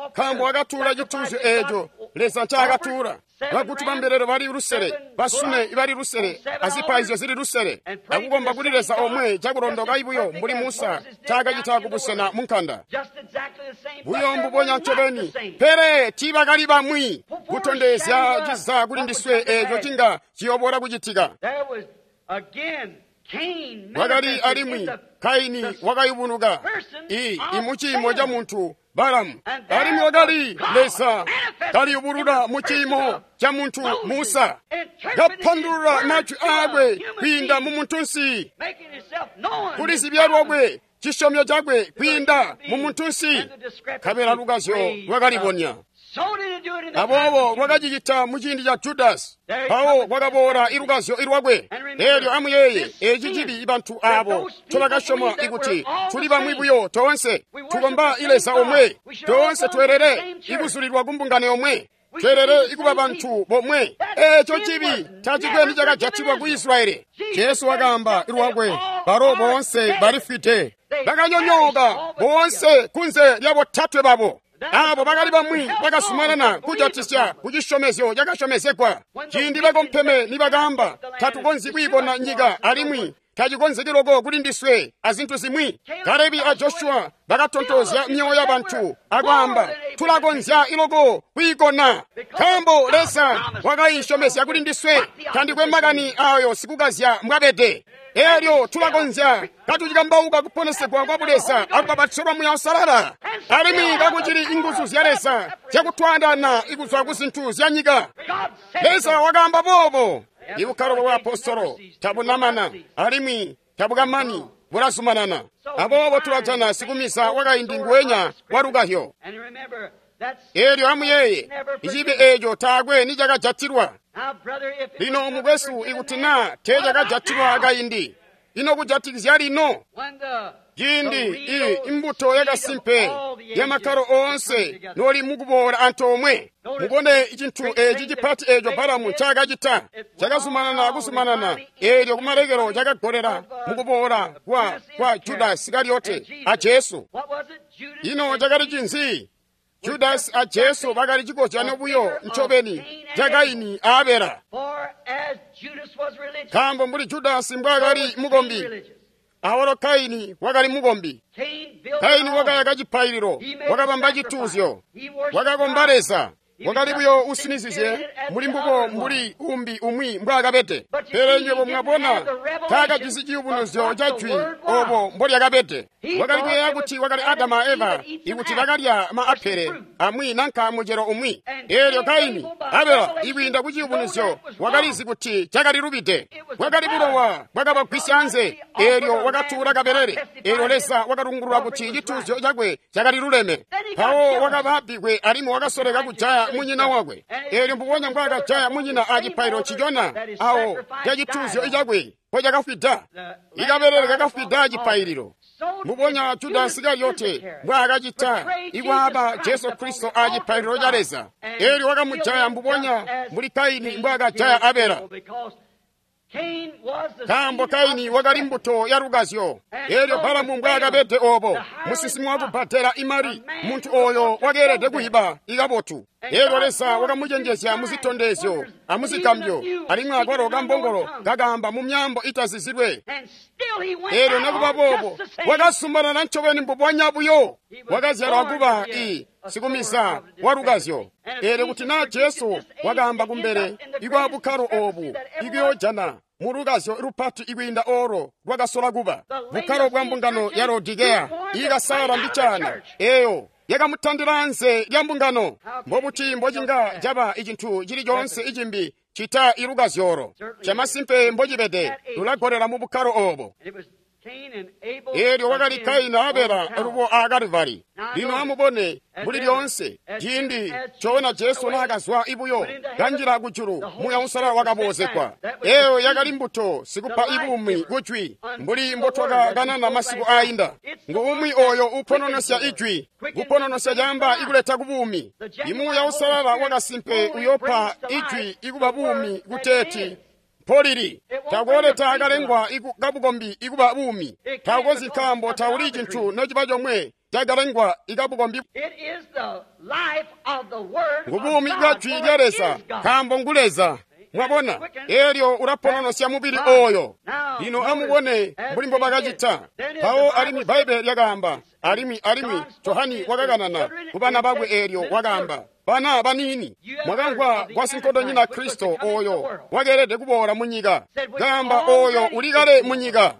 Speaker 1: Nkaambo wakatuula cituuzyo eeco Leza ncaakatuula. Bagutu bambelele bali lusele, basune bali lusele, azipaizyo zili lusele, akukomba kuli Leza omwe cakulondoka ibuyo mbuli Musa ncaakacita kubusena munkanda. Buyo mbubonya ncobeni, pele tiibakali bamwi kutondezya ciza kuli ndiswe eeco cinga ciyoboola kucitika. Wakali alimwi Kaini wakayubunuka i imuciimo ca muntu Balamu, alimwi wakali Leza Kaliyubulula mu ciimo ca muntu Musa, kapandulula majwi aakwe kwiinda mu muntunsi, kulizibya lwakwe cisyomyo cakwe kwiinda mu muntunsi, nkabela lukazyo lwakalibonya. Aboobo lwakacicita mu ciindi ca Judasi, mpawo kwakaboola ilukazyo ilwakwe. Eelyo amuyeeye eci cibi bantu abo ncobakasyoma ikuti tuli bamwi buyo toonse, tukomba Leza omwe, toonse tweelele ikuzulilwa ku mbungano yomwe, tweelele ikuba bantu bomwe. Eeco cibi tacikwe nicakajatilwa ku Israyeli. Jesu wakaamba lwakwe, balo boonse balifwide, bakanyonyooka boonse kunze lya botatwe babo. Abo bakali bamwi bakazumanana kujatisya ku cisyomezyo cakasyomezegwa. Ciindi bakompeme nibakaamba, tatukonzyi kwiibona nyika alimwi tacikonzeki loko kuli ndiswe azintu zimwi. Kalebi a Joshua bakatontozya myoyo ya bantu akwaamba, tulakonzya iloko kwiikona, nkaambo Leza wakayisyomezya kuli ndiswe. Tandikwe makani ayo sikukazya mbwabede. Eelyo tulakonzya katucikambauka kuponesegwa kwa Buleza akubapatizo lwa Muuya Uusalala, alimwi kakucili inguzu zya Leza zyakutwaandaana ikuzwa ku zintu zya nyika. Leza wakaamba boobo. Ibukkalo bwa apostolo tabunamana alimwi tabukamani, bulazumanana. Aboobo tulajana sikumisa wakaindi nguwenya wa lukahyo. Eelyo amuyeeye icibi eeco taakwe nicakajatilwa. Lino mukwesu, ikuti naa teecakajatilwa kaindi, ino kujatikizya lino? Ciindi i imbuto yakasimpe yamakkalo oonse noli mukuboola antoomwe, mubone cintu eci cipati eeco Balamu ncaakacita. Cakazumanana kuzumanana, eelyo kumalekelo cakagolera mukuboola kwa kwa Judasi Isikariote a Jesu. Ino cakali cinzi? Judasi a Jesu bakali cikozyano buyo ncobeni ca Kaini a Abela. Nkaambo mbuli Judasi mbwaakali mukombi, awalo Kaini wakali mukombi. Kaini wakayaka cipaililo, wakabamba cituuzyo, wakakomba Leza. Wakali buyo usinizizye muli mbubo mbuli umbi umwi mbwaakabede. Pele nywebo mwabona, taakajisi ciyubunuzyo ca jwi obo mbolyakabede. Wakali kuyeeya kuti wakali Adamu a Eva ikuti bakalya maapele amwi nanka mucelo umwi. Eelyo Kaini, Abela, ikwiinda ku ciyubunuzyo, wakalizi kuti cakalilubide. Bwakali bulowa bwakabagwisya anze. Eelyo wakatuula kabelele. Eelyo Leza wakalungulula kuti cituuzyo cakwe cakaliluleme. Mpawo wakaba bbikwe alimwi wakasoleka kujaya munyina wakwe. Eelyo mbubonya mbwaakajaya munyina a cipaililo ncicona awo ca cituuzyo cakwe mpo cakafwida. Ikabelele kakafwida acipaililo. Mbubonya Judasi Isikariote mbwaakacita ikwaaba Jesu Kristo a cipaililo ca Leza. Eelyo wakamujaya mbubonya mbuli Kaini mbwaakajaya Abela. Nkaambo Kaini wakali mbuto ya lukazyo. Eelyo Balamu mbwaakabede oobo, musinsimi wakubbadela imali, muntu ooyo wakeelede kuyiba ikabotu. Eelyo Leza wakamucenjezya muzitondezyo amuzigambyo, alimwi akwalo kambongolo kakaamba mu myaambo itazizilwe. Eelyo nekuba boobo wakazumanana ncobeni mbubonya buyo. Wakazyalwa kuba i sikumisa wa lukazyo. Eelyo kuti naa Jesu wakaamba kumbele ikwa bukkalo oobu ikuyoojana mu lukazyo lupati ikwiinda olo lwakasola kuba bukkalo bwa mbungano ya Laodikeya iikasaala mbicaana, eeyo yakamutandila anze lya mbungano. Mbobuti mbocinga caba icintu cili coonse icimbi cita ilukazyolo? Camasimpe mbocibede, lulagolera mu bukkalo oobo. Eelyo wakali Kaini a Abela lubo a Kalivari. Lino amubone mbuli lyoonse ciindi coona Jesu naakazwa ibuyo kanjila kujulu, Muuya Uusalala wakaboozegwa. Eeyo yakali mbuto sikupa ibuumi kujwi, mbuli mbotwakakanana masiku aayinda. Ngu umwi oyo upononosya ijwi, kupononosya caamba ikuleta kubuumi. Imuuya Uusalala wakasimpe uyopa ijwi ikuba buumi kuteeti mpolili. Takooleta kalengwa kabukombi ikuba buumi. Takonzyi, nkaambo tauli cintu nociba comwe cakalengwa ikabukombi. Ngubuumi bwa jwi lya Leza, nkaambo ngu Leza. Mwabona, eelyo ulapononosya mubili ooyo. Lino amubone mbuli mbobakacita. Mpawo alimwi Bbaibbele lyakaamba, alimwi alimwi Johani wakakanana ku bana bakwe eelyo wakaamba, Bana baniini, mwakamvwa kwa sinkondonyina Kristo oyo wakeelede kuboola mu nyika, kaamba oyo uli kale mu nyika,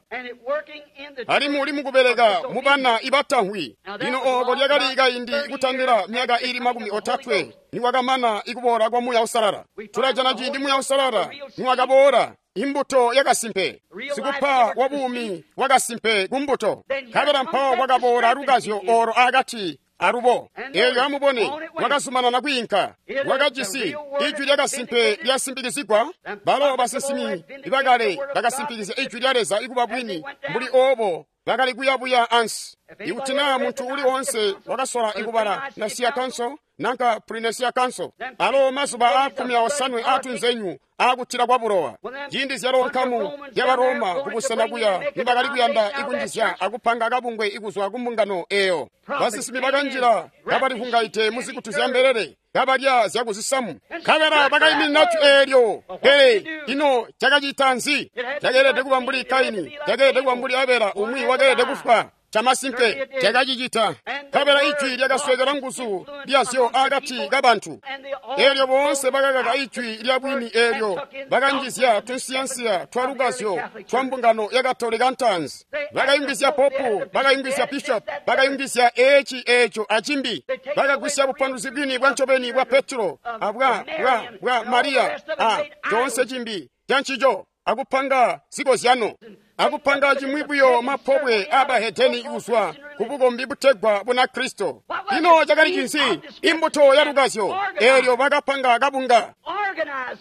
Speaker 1: alimwi uli mukubeleka mu bana ibatamvwi. Lino ooko lyakali kaindi kutandila myaka ili makumi otatwe niwakamana ikuboola kwa Muuya Uusalala. Tulajana ciindi Muuya Uusalala niwakaboola, imbuto yakasimpe, sikupa wa buumi bwakasimpe ku mbuto. Nkabela mpawo kwakaboola lukazyo olo akati alubo. Eelyo amubone, lwakazumanana kwiinka, lwakajisi ijwi lyakasimpe lyasimpikizigwa. Balo basinsimi ibakale bakasimpikizya ijwi lya Leza ikuba bwini, mbuli oobo bakali kuyabuya ansi. Ikuti naa muntu uli woonse wakasola ikubala Nicaea Council nanka Pre-Nicea Council, alo mazuba a kkumi aosanwe aatunzenyu aakutila kwa bulowa, ciindi zyalo nkamu ya Baroma kubusena kuya nibakali kuyanda ikunjizya akupanga kabungwe ikuzwa ku mbungano eyo. Basinsimi bakanjila kabalivungaite muzikutu zya mbelele, kabalya zyakuzisamu, nkabela bakaiminina jwi eelyo. Pele ino cakacita nzi? Cakeelede kuba mbuli Kaini, cakeelede kuba mbuli Abela, umwi wakeelede kufwa. Chamasimpe chakachicita. Nkabela ijwi lyakaswekela nguzu lyazyo akati kabantu. Eelyo boonse bakakaka ijwi lya bwini eelyo bakanjizya tunsiyansiya twa lukazyo twa mbungano ya Katolika ntaanzi. Bakayungizya popu, bakayungizya bishop, bakayungizya eci eco acimbi. Bakagwisya bupanduluzi bwini bwa ncobeni bwa Petro abwa bwa bwa Mariya a coonse cimbi cancico, akupanga zikozyano, akupanga cimwi buyo mapobwe abahedeni kuzwa ku bukombi butegwa Bunakristo. Ino cakali cinzi? Imbuto ya lukazyo. Eelyo bakapanga kabunga,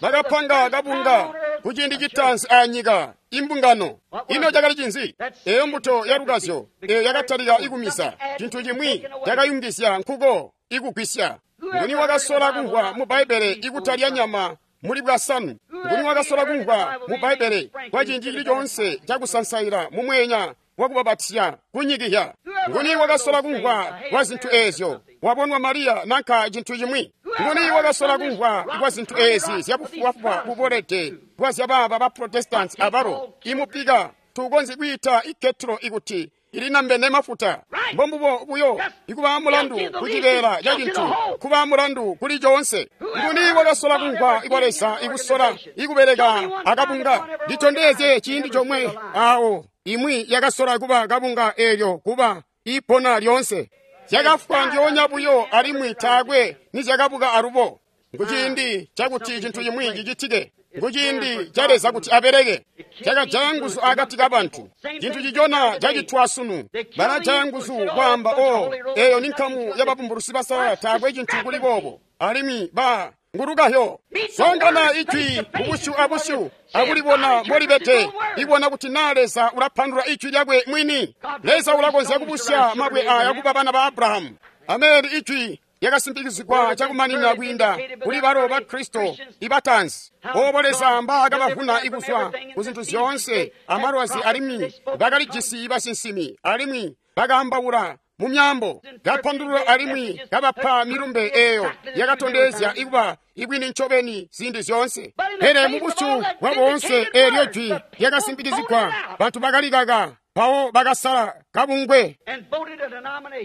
Speaker 1: bakapanga kabunga ku ciindi citaanzi anyika, imbungano. Ino cakali cinzi? Eyo mbuto ya lukazyo eyo yakatalika ikumisa cintu cimwi cakayungizya nkuko ikugwisya. Nguni wakasola kumvwa mu Bbaibbele ikutalya nyama muli bwasanu? Nguni wakasola kumvwa mu Bbaibbele kwa ciindi cili coonse cakusansaila mu mweenya wakubabatizya kunyikihya? Nguni wakasola kumvwa kwa zintu eezyo wabonwa Mariya nanka cintu cimwi? Nguni wakasola kumvwa kwa zintu eezi zyabufubafuba bubolede bwa zyabaaba ba Protestants abalo imupika tukonzyi kwiita iketro ikuti ilinambene mafuta? Mbombubo buyo ikuba mulandu kucibeela ca cintu, kuba mulandu kuli coonse. Nguni wakasola kumvwa kwa Leza ikusola ikubeleka akabunga? Litondezye ciindi comwe awo imwi yakasola kuba kabunga eelyo kuba ipona lyoonse. Zyakafwa ndyoonya buyo alimwi taakwe nizyakabuka alubo. Nkuciindi cakuti cintu cimwi cicitike. Nkuciindi ca Leza kuti abeleke. Cakajaya nguzu akati kabantu. Cintu cicona cacitwa sunu. Balajaya nguzu kwaamba, o eyo ni nkamu yababumbulusi basalala, taakwe cintu kuli boobo. Alimwi ba ngulukahyo songana ijwi kubusyu abusyu akulibona mbolibede, ibona kuti naa Leza ulapandula ijwi lyakwe mwini. Leza ulakonzya kubusya mabwe aya kuba bana ba Abrahamu. Ameni. Ijwi lyakasimpikizigwa cakumanina kwiinda kuli balo ba Kristo ibatanzi. Oobo Leza mbaakabavuna ikuzwa ku zintu zyoonse amalwazi, alimwi bakalijisi basinsimi, alimwi bakaambaula mu myaambo, kapandulula alimwi kabapa milumbe eyo yakatondezya ikuba ibwini ncobeni ziindi zyoonse. Pele mu busyu bwa boonse eelyo jwi lyakasimpikizigwa, bantu bakalikaka. Mpawo bakasala kabungwe,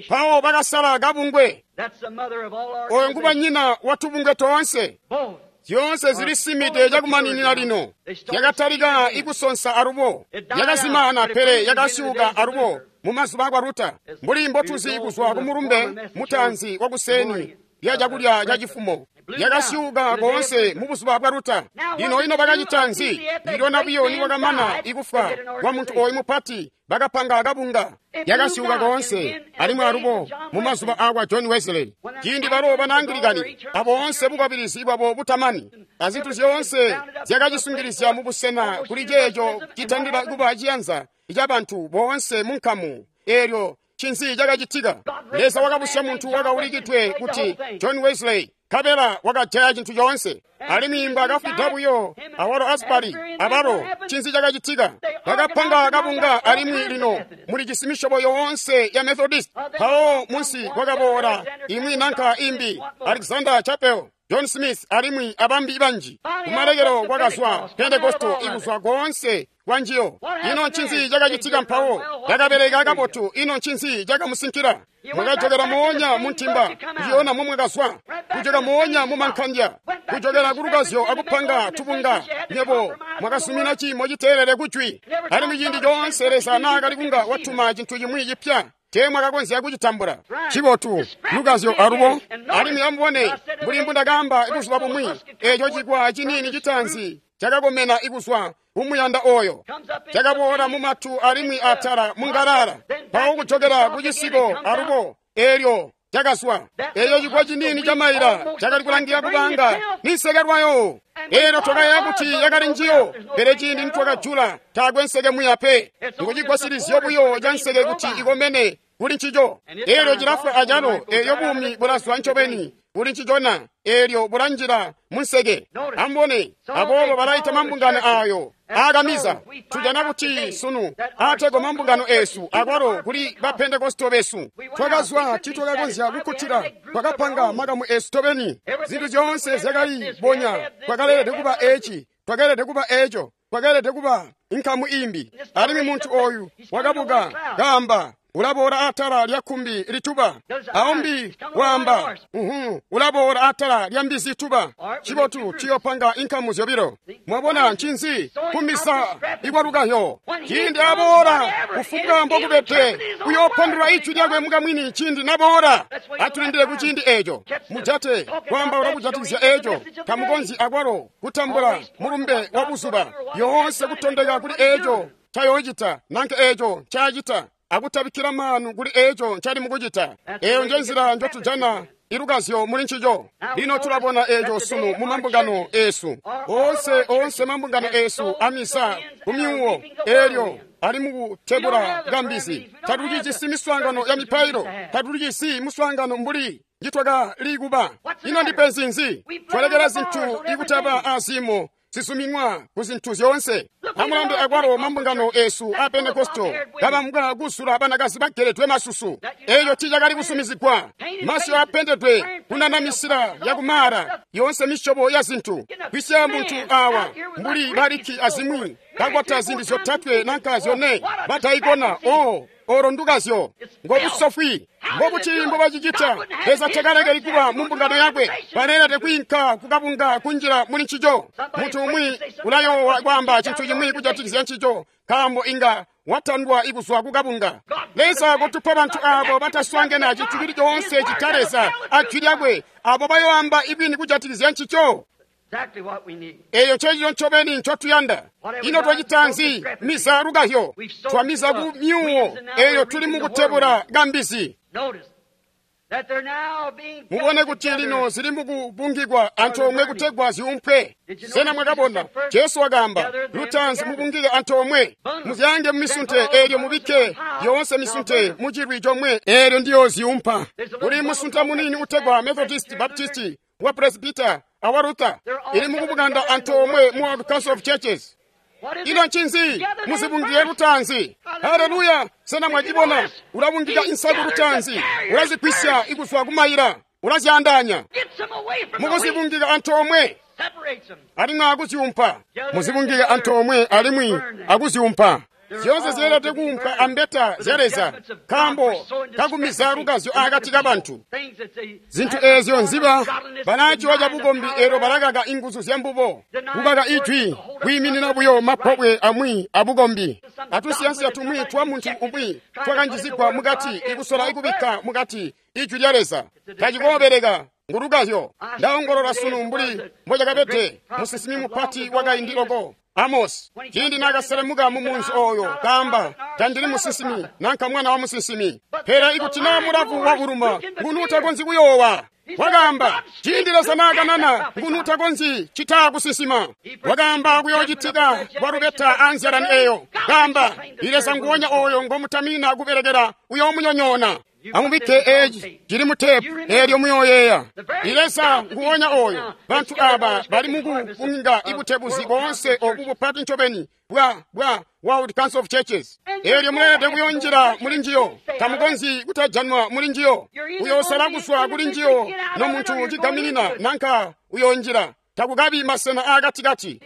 Speaker 1: mpawo bakasala kabungwe. Oyo ngubanyina wa tubungwe toonse. Zyoonse zilisimide cakumaninina lino. Yakatalika ikusonsa alubo, yakazimana, pele yakasyuka alubo mu mazuba akwa Luta, mbuli mbotuzi kuzwa ku mulumbe mutaanzi wakuseni lya cakulya ca cifumo. Yakasyuka koonse mu buzuba bwa Luta. Lino ino bakacita nzi? Ndilona buyo niwakamana ikufwa kwa muntu oyu mupati, bakapanga kabunga. Yakasyuka koonse alimwi alubo mu mazuba akwa John Wesley, ciindi balo bana Anglikani aboonse bukwabilizi bwabo butamani azintu zyoonse zyakacisungilizya mu busena kuli ceeco citandila kuba ciyanza cabantu boonse mu nkamu. Eelyo cinzi cakacitika? Leza wakabusya muntu wakaulikidwe kuti John Wesley, nkabela wakajaya cintu coonse. Alimwi mbwaakafwida buyo awalo Asbury abalo, cinzi cakacitika? Bakapanga kabunga, alimwi lino mulijisi misyobo yoonse ya Methodist. Mpawo munsi kwakaboola imwi nanka imbi, Alexander Chapel John Smith alimwi abambi banji. Kumalekelo kwakazwa Pentekosto ikuzwa koonse kwanjiyo. Ino ncinzi cakacitika mpawo? Yakabeleka kabotu. Ino ncinzi cakamusinkila? Mwakajokera moonya muntimba, ndiyona momwakazwa, kujoka moonya mumankandya, kujokera kulukazyo akupanga tubunga. Nyebo mwakasumina ciimo citeelele kujwi. Alimwi ciindi coonse Leza naakali kunga watuma cintu cimwi cipya, teemwakakonzya kucitambula. Cibotu lukazyo alubo. Alimwi amubone mbuli mbundakaamba buzuba bumwi, eeco cikwa ciniini citaanzi cakakomena ikuzwa kumuyanda oyo, cakaboola mumatu alimwi atala mungalala, mpawo kujokera kucisiko alubo, eelyo cakazwa. Eeco cikwa ciniini ca maila cakali kulangira kubanga ninseke lwayo. Eelyo twakayeeya kuti yakali njiyo, pele ciindi nitwakajula taakwe nseke muya pe. Nkucigwasilizyo buyo ca nseke kuti ikomene kuli ncico. Eelyo cilafwa acalo, eelyo buumi bulazwa ncobeni kuli ncicona, eelyo bulanjila munseke. Amubone, aboobo balaita mambungano ayo aakamiza. Tujana kuti sunu aategwa mambungano eesu akwalo kuli ba Pentekosto besu. Twakazwa titwakakonzya kukkutila, twakapanga makamu eesu tobeni. Zintu zyoonse zyakali bonya, twakaleelede kuba eci, twakeelede kuba eco, twakeelede kuba inkamu imbi. Alimwi muntu oyu wakabuka kaamba, ulaboola atala lya kkumbi lituba. Aumbi waamba, uhu, ulaboola atala lya mbizi ituba. Cibotu ciyopanga inkamu zyobilo. Mwabona ncinzi? Kumisa ikwalukayo. Ciindi aboola, kufumbwa mbokubede, uyoopandulula ijwi lyakwe mukamwini ciindi naboola. Atulindile kuciindi eeco. Mujate kwaambaula kujatikizya eeco. Tamukonzyi akwalo kutambula mulumbe wa buzuba. Yoonse kutondeka kuli eeco cayoocita, nanke eeco ncaacita, akutabikkila maanu kuli eeco ncali mukucita. Eeyo nje nzila njotujana ilukazyo muli ncico. Lino tulabona eeco sunu mu mambungano eesu oonse, oonse mambungano eesu amisa kumyuwo eelyo ali mukutebula kambizi. Tatucijisi miswaangano ya mipailo, tatucijisi muswaangano mbuli njitwakali kuba. Ino ndipenzi nzi? Twalekela zintu ikutaba azimo zisuminwa ku zintu zyoonse. Amulambe akwalo mambungano eesu a Pentekosto kabamuka kuzula banakazi bageledwe masusu. Eeco tiicakali kusumizigwa. Masyu apendedwe kunanamisila yakumaala, yoonse misyobo ya zintu. Kwisya muntu awa mbuli baliki azimwi kakwata zindi zyotatwe nanka zyone bataikona. O olo ndukazyo ngobusofwi. Mbobuti mbobacicita? Leza takalekeli kuba mu mbungano yakwe. Baleelede kwiinka kukabunga kunjila muli ncico. Muntu umwi ulayoowa kwaamba cintu cimwi kujatikizya ncico, nkaambo inga watandwa ikuzwa kukabunga. Leza kotupa bantu abo bataswaangene cintu cili coonse cita Leza ajwi lyakwe, abo bayoamba ibwini kujatikizya ncico. Eeyo ncecico ncobeni ncotuyanda. Ino twacita nzi? Miza lukahyo, twamiza ku myuwo, eeyo tuli mukutebula kambizi. Mubone kuti lino zili mukubungikwa antoomwe kutegwa ziumpwe. Sena mwakabona? Jesu wakaamba, lutaanzi mubungike antoomwe, muzyange mumisunte, eelyo mubikke yoonse misunte mucilwi comwe, eelyo ndiyo ziumpa. Kuli musunta munini utegwa Methodist, Baptist, wa Presbyter awa Luther, ili mukubukanda antoomwe mu World Council of Churches. Ino ncinzi? Muzibungike lutaanzi. Haleluya! Sena mwacibona? Ulabungika insaku lutaanzi, ulazigwisya ikuzwa kumayila, ulazyaandaanya. Mukuzibungika antoomwe alimwi akuziumpa. Muzibungike antoomwe alimwi akuziumpa. Zyoonse zyeelede kuumpwa ambeta zya Leza, nkaambo kakumiza lukazyo akati kabantu. Zintu eezyo nziba balaciwa cabukombi, eelyo balakaka inguzu zyambubo, kukaka ijwi, kwiiminina buyo mapobwe amwi abukombi. Atusiyansiya tumwi twa muntu umwi twakanjizigwa mukati, ikusola ikubikka mukati ijwi lya Leza. Tacikoobeleka. Ngulukazyo. Ndaongolola sunu mbuli mbocakabede musinsimi mupati wakaindi loko Amosi, ciindi naakaselemuka mu munzi oyo, kaamba, tandili musinsimi nanka mwana wa musinsimi, pele ikuti naa mulavu wavuluma, nguni utakonzyi kuyoowa? Wakaamba, ciindi Leza naakanana, nguni utakonzyi citaa kusinsima? Wakaamba kuyoocitika kwalubeta anzyalani eyo. Kaamba, Leza nguwonya oyo ngomutamina kubelekela uyoomunyonyoona. Amubikke eci cili mu tepu eelyo muyooyeeya. Leza nguwonya oyo. Bantu aba bali mukukunga ibutebuzi boonse obu bupati ncobeni bwa bwa World Council of Churches. Eelyo muleelede kuyonjila muli njiyo. Tamukonzyi kutajanwa muli njiyo. Uyoosala kuzwa kuli njiyo no muntu cigaminina nanka uyoonjila. Takukabi masena aakatikati.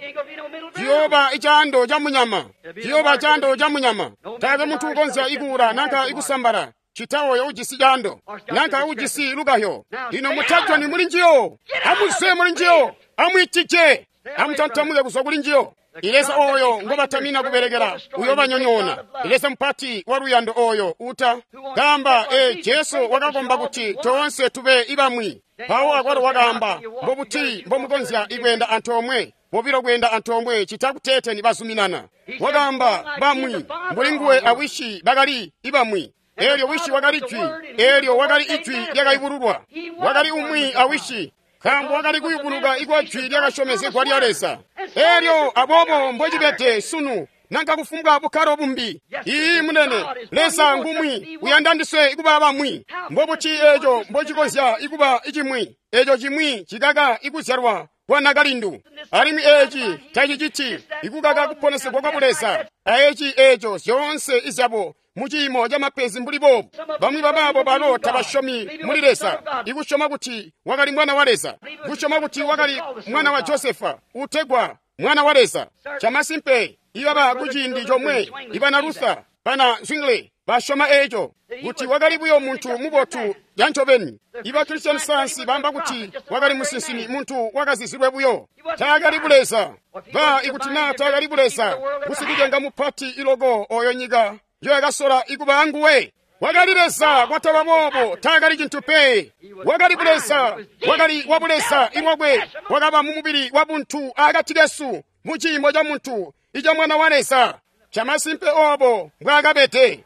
Speaker 1: Ciyooba icaando ca munyama. Ciyooba caando ca munyama. Taakwe muntu ukonzya ikuula nanka ikusambala cita oyo ujisi caando nanka ujisi lukahyo. Lino mutajoni muli njiyo. Amuzwe muli njiyo. Amwiitije. Amutantamuke kuzwa kuli njiyo. Ileza oyo ngobatamina kubelekela uyobanyonyoona. Ileza mupati wa luyando oyo uta gamba e Jesu wakakomba kuti toonse tube ibamwi. Pawo akwalo wakaamba mbobuti mbomukonzya ikwenda antoomwe bobilo kwenda antoomwe cita kuteete nibazuminana. Wakaamba bamwi mbuli nguwe awishi bakali ibamwi. Elyo wishi wakali jwi, elyo wakali ijwi lyakayubululwa. Wakali umwi awishi nkaambo wakali kuyubuluka ikwa jwi lyakasyomezegwa lya Leza. Elyo aboobo mbocibede sunu nanka kufumbwa bukkalo bumbi. Ii munene, Leza ngumwi, uyanda ndiswe ikuba bamwi. Mbobuti eco mbocikonzya ikuba icimwi, eco cimwi cikaka ikuzyalwa kwa nakalindu. Alimwi eci taciciti ikukaka kuponesegwa kwa Buleza. Aeci eco zyoonse izyabo muciimo ca mapenzi mbuli boobu. Bamwi babaabo balo tabasyomi muli Leza, ikusyoma kuti wakali mwana wa Leza, kusyoma kuti wakali mwana wa Josefa utegwa mwana wa Leza. Chamasimpe ibaba kuciindi comwe ibana Luther bana Zwingli basyoma eco kuti wakali buyo muntu mubotu yancobeni. Iba Christian Science bamba kuti wakali musinsimi, muntu wakazizilwe buyo, taakali buleza. Ba ikuti naa taakali buleza, kusikucenga mupati iloko oyo nyika yoyakasola ikuba anguwe. Wakali Leza kwataba boobo, taakali cintu pe. Wakali buleza, wakali wabuleza ilwakwe, wakaba mu mubili wa buntu akati kesu, mu ciimo ca muntu ica mwana wa Leza. Chamasimpe obo mbwaakabede.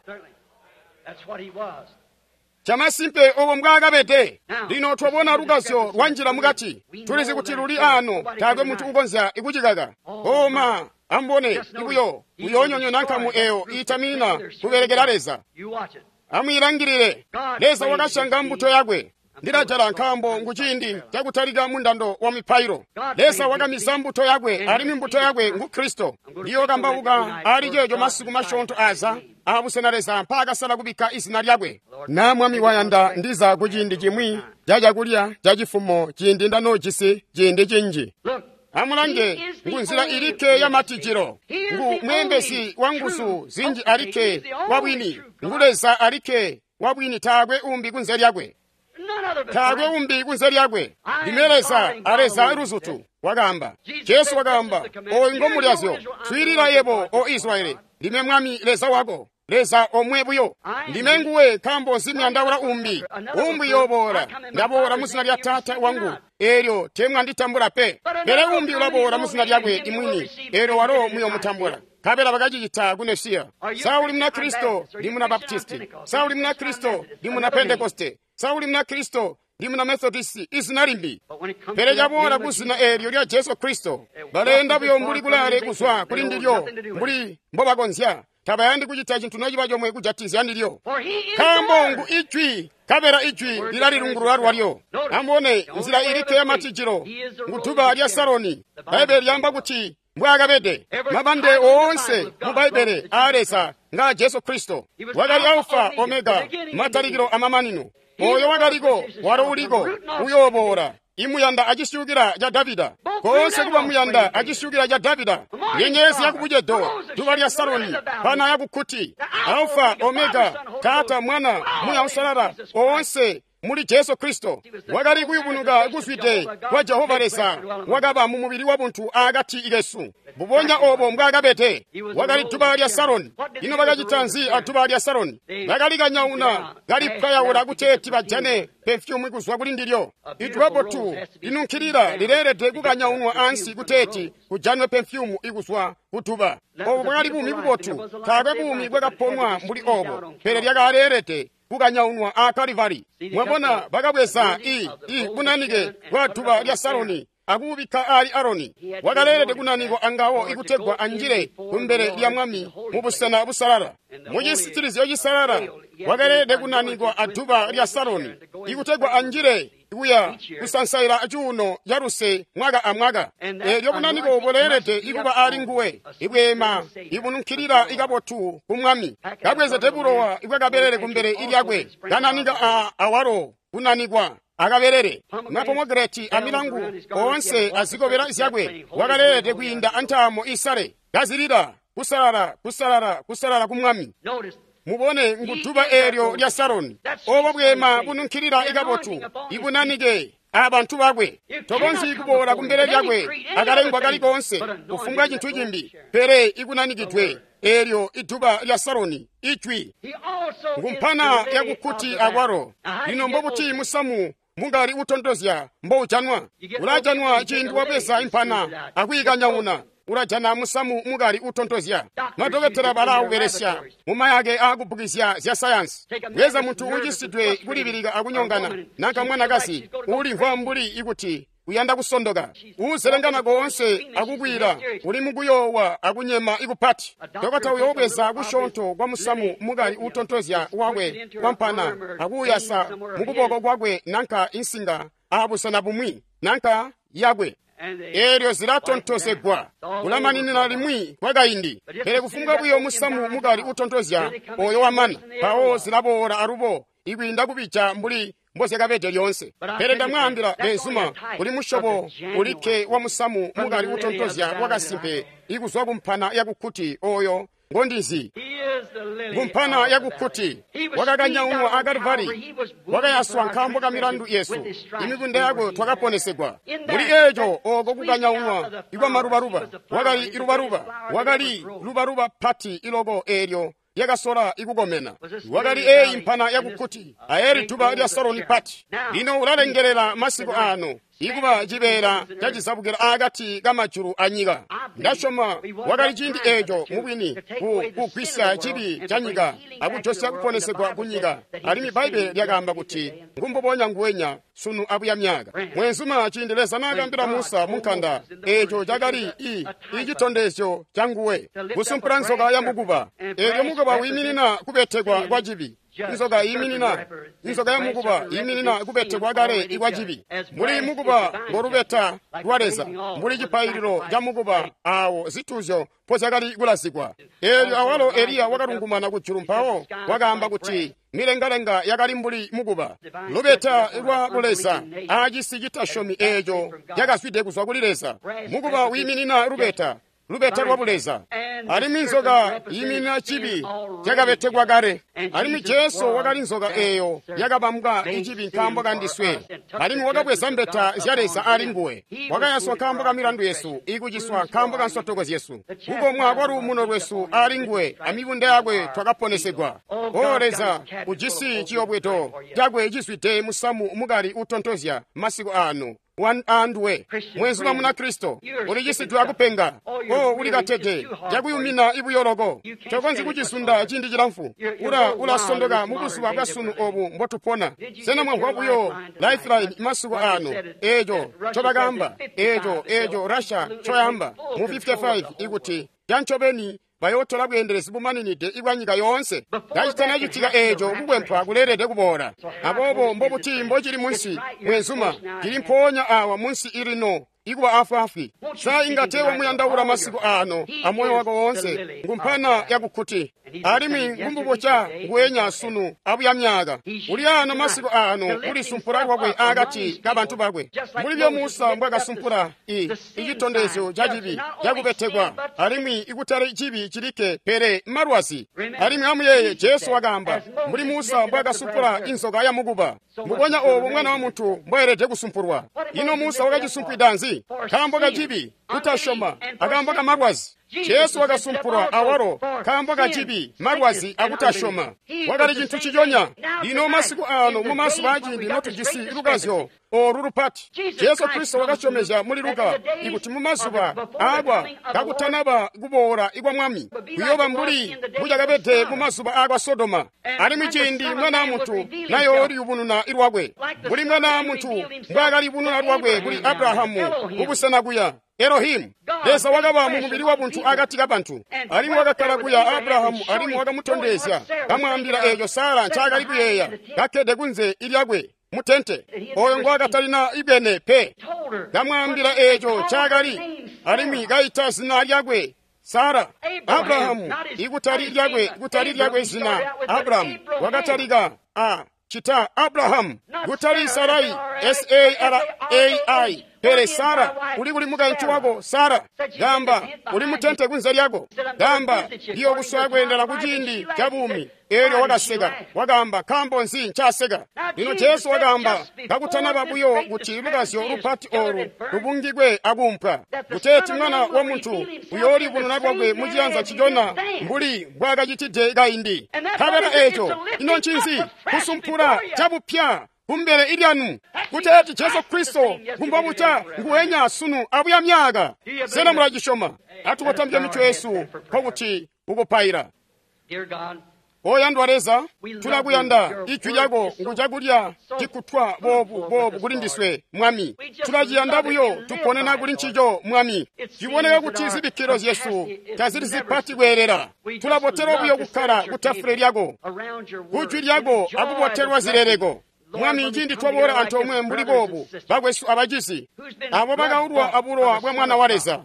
Speaker 1: Chamasimpe obo mbwaakabede. Lino twabona lukazyo lwanjila mukati. Tulizi kuti luli ano, taakwe muntu ukonzya ikucikaka. Oma ambone ibuyo uyoonyonyoona nkamu eyo iitamina kubelekela Leza. Amwiilangilile. Leza wakashanga mbuto yakwe. Ndilajala nkaambo ngu ciindi cakutalika mundando wa mipailo. Leza wakamiza mbuto yakwe, alimwi mbuto yakwe ngu Kristo. Ndiyokambauka ali ceeco masiku masyoonto aza abusena Leza mpaakasala kubikka izina lyakwe. Na Mwami wayanda ndiza ku ciindi cimwi ca cakulya ca cifumo ciindi ndanoojisi ciindi cinji. Amulange, ngu nzila ilikke ya matijilo, ngu mweembezi wa nguzu zinji alikke wa bwini, ngu Leza alikke wa bwini, taakwe umbi kunze lyakwe. Taakwe umbi kunze lyakwe. Ndime Leza, a Leza luzutu, wakaamba. Jesu wakaamba, oyu ngomulyazyo, swiilila yebo, o Israyeli, ndime Mwami Leza wako, Leza omwe buyo. Ndime nguwe nkaambo nsimyandaula umbi. Umbi yooboola, ndaboola mu zina lya Taata wangu, eelyo teemwanditambula pe. Pele umbi ulaboola mu zina lyakwe imwini, eelyo walo muyomutambula. Nkabela bakacicita ku Mesiya. Sa uli muna Kristo, ndi muna Baptisti. Sa uli muna Kristo, ndi muna Pentekoste. Sa uli muna Kristo, ndi muna Methodisti, izina limbi. Pele caboola ku zina eelyo lya Jesu Kristo, baleenda buyo mbuli kulaale kuzwa kuli ndilyo, mbuli mbobakonzya. Tabayandi kucita cintu nociba comwe kujatizya ndilyo. Nkaambo ngu ijwi, nkabela ijwi lilalilungulula lwalyo. Amubone nzila ilikke ya matijilo, ngu duba lya Saroni. Bbaibele lyaamba kuti mbwaakabede. Mabande oonse mu Bbaibele aa Leza nga Jesu Kristo. Wakali Alfa Omega, matalikilo amamanino. Oyo wakaliko, walo uliko, uyooboola. Imuyanda acisyukila ca Davida. Koonse kuba muyanda acisyukila ca Davida. Nyenyezi yakubucedo, duba lya Saroni, pana yakukkuti. Alfa Omega, Taata, Mwana, Muya Usalala, oonse muli Jesu Kristo. Wakali kuyubunuka kuzwide kwa Jehova Leza, wakaba mu mubili wa buntu akati kesu. Mbubonya obo mbwaakabede. Wakali duba lya Saroni. Ino bakacita nzi aduba lya Saroni? Bakalikanyauna, kalipwayaula kuteeti bajane pefyumu kuzwa kuli ndilyo. Idwabotu linunkilila lileelede kukanyaunwa ansi kuteeti kujanwe pefyumu ikuzwa kuduba. Obo bwakali buumi bubotu, taakwe buumi bwakaponwa mbuli obo, pele lyakaleelede kukanyaunwa a Kalivari. Mwabona bakabweza i i bunanike bwa duba lya Saroni akubikka ali Aroni. Wakaleelede kunanikwa angawo ikutegwa anjile kumbele lya Mwami mu busena busalala. Mu cisitilizyo cisalala wakaleelede kunanikwa aduba lya Saroni ikutegwa anjile kuya kusansaila cuuno ca luse mwaka amwaka. Eelyo bunaniko buleelede ikuba ali nguwe, ibweema ibununkilila ikabotu ku Mwami. Kabwezede bulowa ibwakabelele kumbele ilyakwe, kananika a awalo kunanikwa akabelele mapomegranate amilangu oonse azikobela zyakwe wakaleelede kwiinda antaamo isale kazilila kusalala kusalala kusalala ku Mwami. Mubone nguduba eelyo lya Saroni, obo bwema bununkilila ikabotu ibunanike abantu bakwe. Tokonzyi kuboola kumbele lyakwe akalengwa kali koonse kufumbwa cintu cimbi pele ikunanikidwe eelyo iduba lya Saroni ijwi ngumpana yakukkuti akwalo. Lino mbobuti musamu mungali utontozya mboujanwa? Ulajanwa ciindi wabweza impana akwiikanyauna. Ulajana musamu mukali utontozya. Madokotela balawubelesya mumayake aakubukizya zya sayansi. Bweza muntu ucisidwe kulibilika akunyongana nanka mwanakazi ulimvwa mbuli ikuti uyanda kusondoka, uuzelengana koonse akukwila, uli mukuyoowa akunyema ikupati. Dokota uyoobweza kusyoonto kwa musamu mukali utontozya wakwe kwampana akuuyasa mukuboko kwakwe nanka insinga aabusena bumwi nanka yakwe. Eelyo zilatontozegwa kulamaninina limwi kwakaindi. Pele kufumbwa buyo musamu mukali utontozya oyo wamana, mpawo zilaboola alubo ikwiinda kubija mbuli mbozyakabede lyoonse. Pele ndamwaambila beenzuma, kuli musyobo ulikke wa musamu mukali utontozya wakasimpe ikuzwa kumpana yakukkuti oyo ngondizi. Kumpana yakukkuti wakakanyaunwa a Kalivari, wakayaswa nkaambo ka milandu yesu, imibunda yakwe twakaponesegwa. Muli eeco ooko kukanyaunwa ikwamalubaluba wakali ilubaluba, wakali lubaluba pati iloko eelyo lyakasola ikukomena. Wakali eeyi mpana yakukkuti aeli duba lya Saroni pati. Lino ulalengelela masiku ano ikuba cibeela cacizabukila aakati kamajulu anyika. Ndasyoma wakali ciindi eeco mubwini ku kugwisya cibi ca nyika akujosya kuponesegwa ku nyika. Alimwi Bbaibbele lyakaamba kuti ngumbubonya nguwenya sunu abuya myaka. Mwenzuma, ciindi Leza naakaambila Musa munkanda, eeco cakali i icitondezyo ca nguwe kusumpula nzoka ya mukuba. Eelyo mukuba wiiminina kubetekwa kwa cibi. Inzoka iiminina inzoka ya mukuba iiminina kubetekwa kale ikwa cibi. Mbuli mukuba ngolubeta lwa Leza, mbuli cipaililo ca mukuba aawo zituuzyo mpozyakali kulazikwa. Eelyo awalo Eliya wakalungumana kujulu mpawo wakaamba kuti milengalenga yakali mbuli mukuba. Lubeta lwa Buleza aacisi citasyomi eeco cakazwide kuzwa kuli Leza. Mukuba wiiminina lubeta, lubeta lwa Buleza. Alimwi nzoka yiiminina cibi cakabetekwa kale. Alimwi Jesu wakali nzoka eeyo yakabambwa icibi nkaambo kandiswe. Alimwi wakabweza mbeta zya Leza ali nguwe. Wakayaswa nkaambo ka milandu yesu, ikuciswa nkaambo ka nsotoko zyesu. Kukomwa kwa luumuno lwesu ali nguwe, amibunda yakwe twakaponesegwa. O Leza, ujisi ciyobwedo cakwe cizwide musamu mukali utontozya masiku ano anduwe. Mwenzuma muna Kristo, ulicisidwe akupenga. O ulikatede cakuyumina ibuyoloko, tokonzyi kucisunda ciindi cilamfu. Ula ulasondoka mubuzuba bwasunu obu mbotupona. Sena mwamvwa buyo Lifeline masiku ano eeco ncobakaamba, eeco eeco Russia ncoyamba mu fifty-five ikuti cancobeni bayootola bweendelezi bumaninide ibwa nyika yoonse. Kacitanacitika eeco, kukwempwa kuleelede kuboola. Aboobo mbobuti mbocili munsi, mwenzuma, cili mpoonya awa munsi ilino ikuba afwaafwi. Sa inga teewamuyandaula masiku ano amoyo wako woonse? Ngumpana yakukkuti, alimwi ngumbuboca nguwenya sunu abuya myaka. Uli ano masiku ano kulisumpula kwakwe aakati kabantu bakwe, mbuli byo Musa mbwakasumpula i icitondezyo ca cibi cakubetekwa, alimwi ikutali cibi cilikke pele malwazi. Alimwi amuyeeye Jesu wakaamba mbuli Musa mbwakasumpula inzoka ya mukuba, mbubonya oobo Mwana wa Muntu mbwaelede kusumpulwa. Ino Musa wakacisumpwida nzi? Nkaambo ka cibi, kutasyoma, akaambo ka malwazi. Jesu wakasumpulwa awalo nkaambo ka cibi, malwazi akutasyoma. Wakali cintu ciconya. Lino masiku ano mumazuba aciindi notujisi lukazyo oolu lupati, Jesu Kristo wakasyomezya muli Luka ikuti mumazuba aakwa kakutanaba kuboola ikwa Mwami kuyooba mbuli mbucakabede mumazuba aakwa Sodoma. Alimwi ciindi Mwana wa Muntu nayooliyubununa lwakwe, mbuli Mwana wa Muntu mbwaakaliyubununa lwakwe kuli Abrahamu kubusena kuya Elohimu, Leza wakaba mu mubili wa buntu akati kabantu, alimwi wakakkala kuya Abrahamu, alimwi wakamutondezya, kamwaambila eeco Sara ncaakali kuyeeya, kakkede kunze ilyakwe mutente, oyo ngwakatalina ibene pe, kamwaambila eeco ncaakali, alimwi kaita zina lyakwe Sara. Abrahamu ikutali lyakwe, kutali lyakwe zina Abrahamu wakatalika a Cita Abrahamu, kutali Sarai, S A R A I, pele Sara, uli kuli mukaintu wako Sara. Gamba, uli mutente kunze lyako. Gamba, ndiyo kuswaya kweendela ku ciindi ca buumi. Elyo wakaseka, wakaamba, nkaambo nzi ncaseka? Lino Jesu wakaamba, kakutanaba buyo kuti lukazyo lupati olu lubungikwe akuumpwa, kuteeti Mwana wa Muntu uyoolibununa lwakwe mu ciyanza ncicona mbuli mbwaakacitide kaindi. Nkabela eco, ino ncinzi? Kusumpula cabupya kumbele ilyanu, kuteeti Jesu Kristo ngumbobuca nguwenya sunu abuya myaka. Sena mulacisyoma? Atukotambye mitwe yesu nkokuti kukupaila. Oyandwa Leza, tulakuyanda. Ijwi lyako ngu cakulya cikutwa boobu boobu kuli ndiswe, Mwami. Tulaciyanda buyo, tuponena kuli ncico, Mwami. Ciboneka kuti zibikkilo zyesu tazili zipati kweelela. Tulabotelwa buyo kukkala ku tafule lyako, kujwi lyako akubotelwa zileleko. Mwami, ciindi twaboola antoomwe mbuli boobu, bakwesu abacizi, abo bakaulwa abulowa bwa Mwana wa Leza,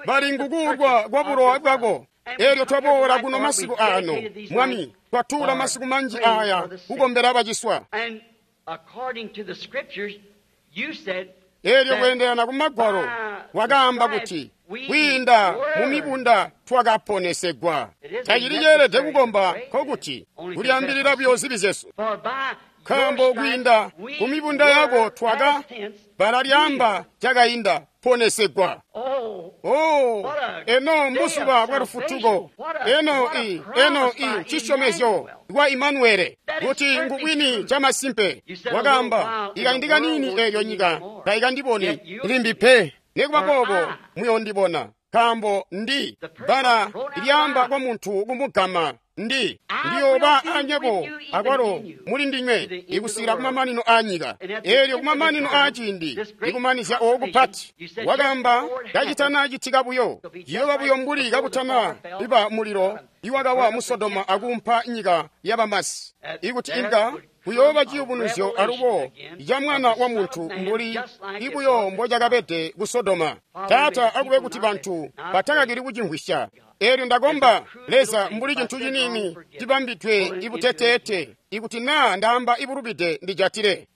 Speaker 1: bali ngukuulwa kwa bulowa bwako. Elyo twaboola kuno masiku ano, Mwami, twatuula masiku manji aya kukombela baciswa. Elyo kweendelana ku Magwalo, wakaamba kuti kwiinda mu mibunda twakaponesegwa. Tacili ceelede kukomba nkokuti kulyaambilila buyo zibi zyesu, nkaambo kwiinda ku mibunda yako twaka bbala lyaamba cakainda ponesegwa. Oh, eno mbuzuba bwa lufutuko, eno i eno i cisyomezyo lwa Imanuele, kuti ngubwini camasimpe. Wakaamba, ikaindi kanini elyo nyika tayikandiboni limbi pe, nekuba boobo muyondibona, nkaambo ndi bbala lyaamba kwa muntu kumugama. Ndi ndiyooba anyebo akwalo muli ndinywe ikusikila kumamanino a nyika. Elyo kumamanino a ciindi ikumanizya ooku kupati. Wakaamba kacitana citika buyo, ciyooba buyo mbuli kakutana iba mulilo iwakawa mu Sodoma akuumpa nyika yabamasi, ikuti inga kuyooba ciyubunuzyo alubo ca Mwana wa Muntu mbuli ibuyo mbocakabede ku Sodoma. Taata, akube kuti bantu batakakili kucimvwisya. Elyo ndakomba Leza, mbuli cintu ciniini cibambidwe ibuteteete, ikuti naa ndaamba ibulubide ndijatile.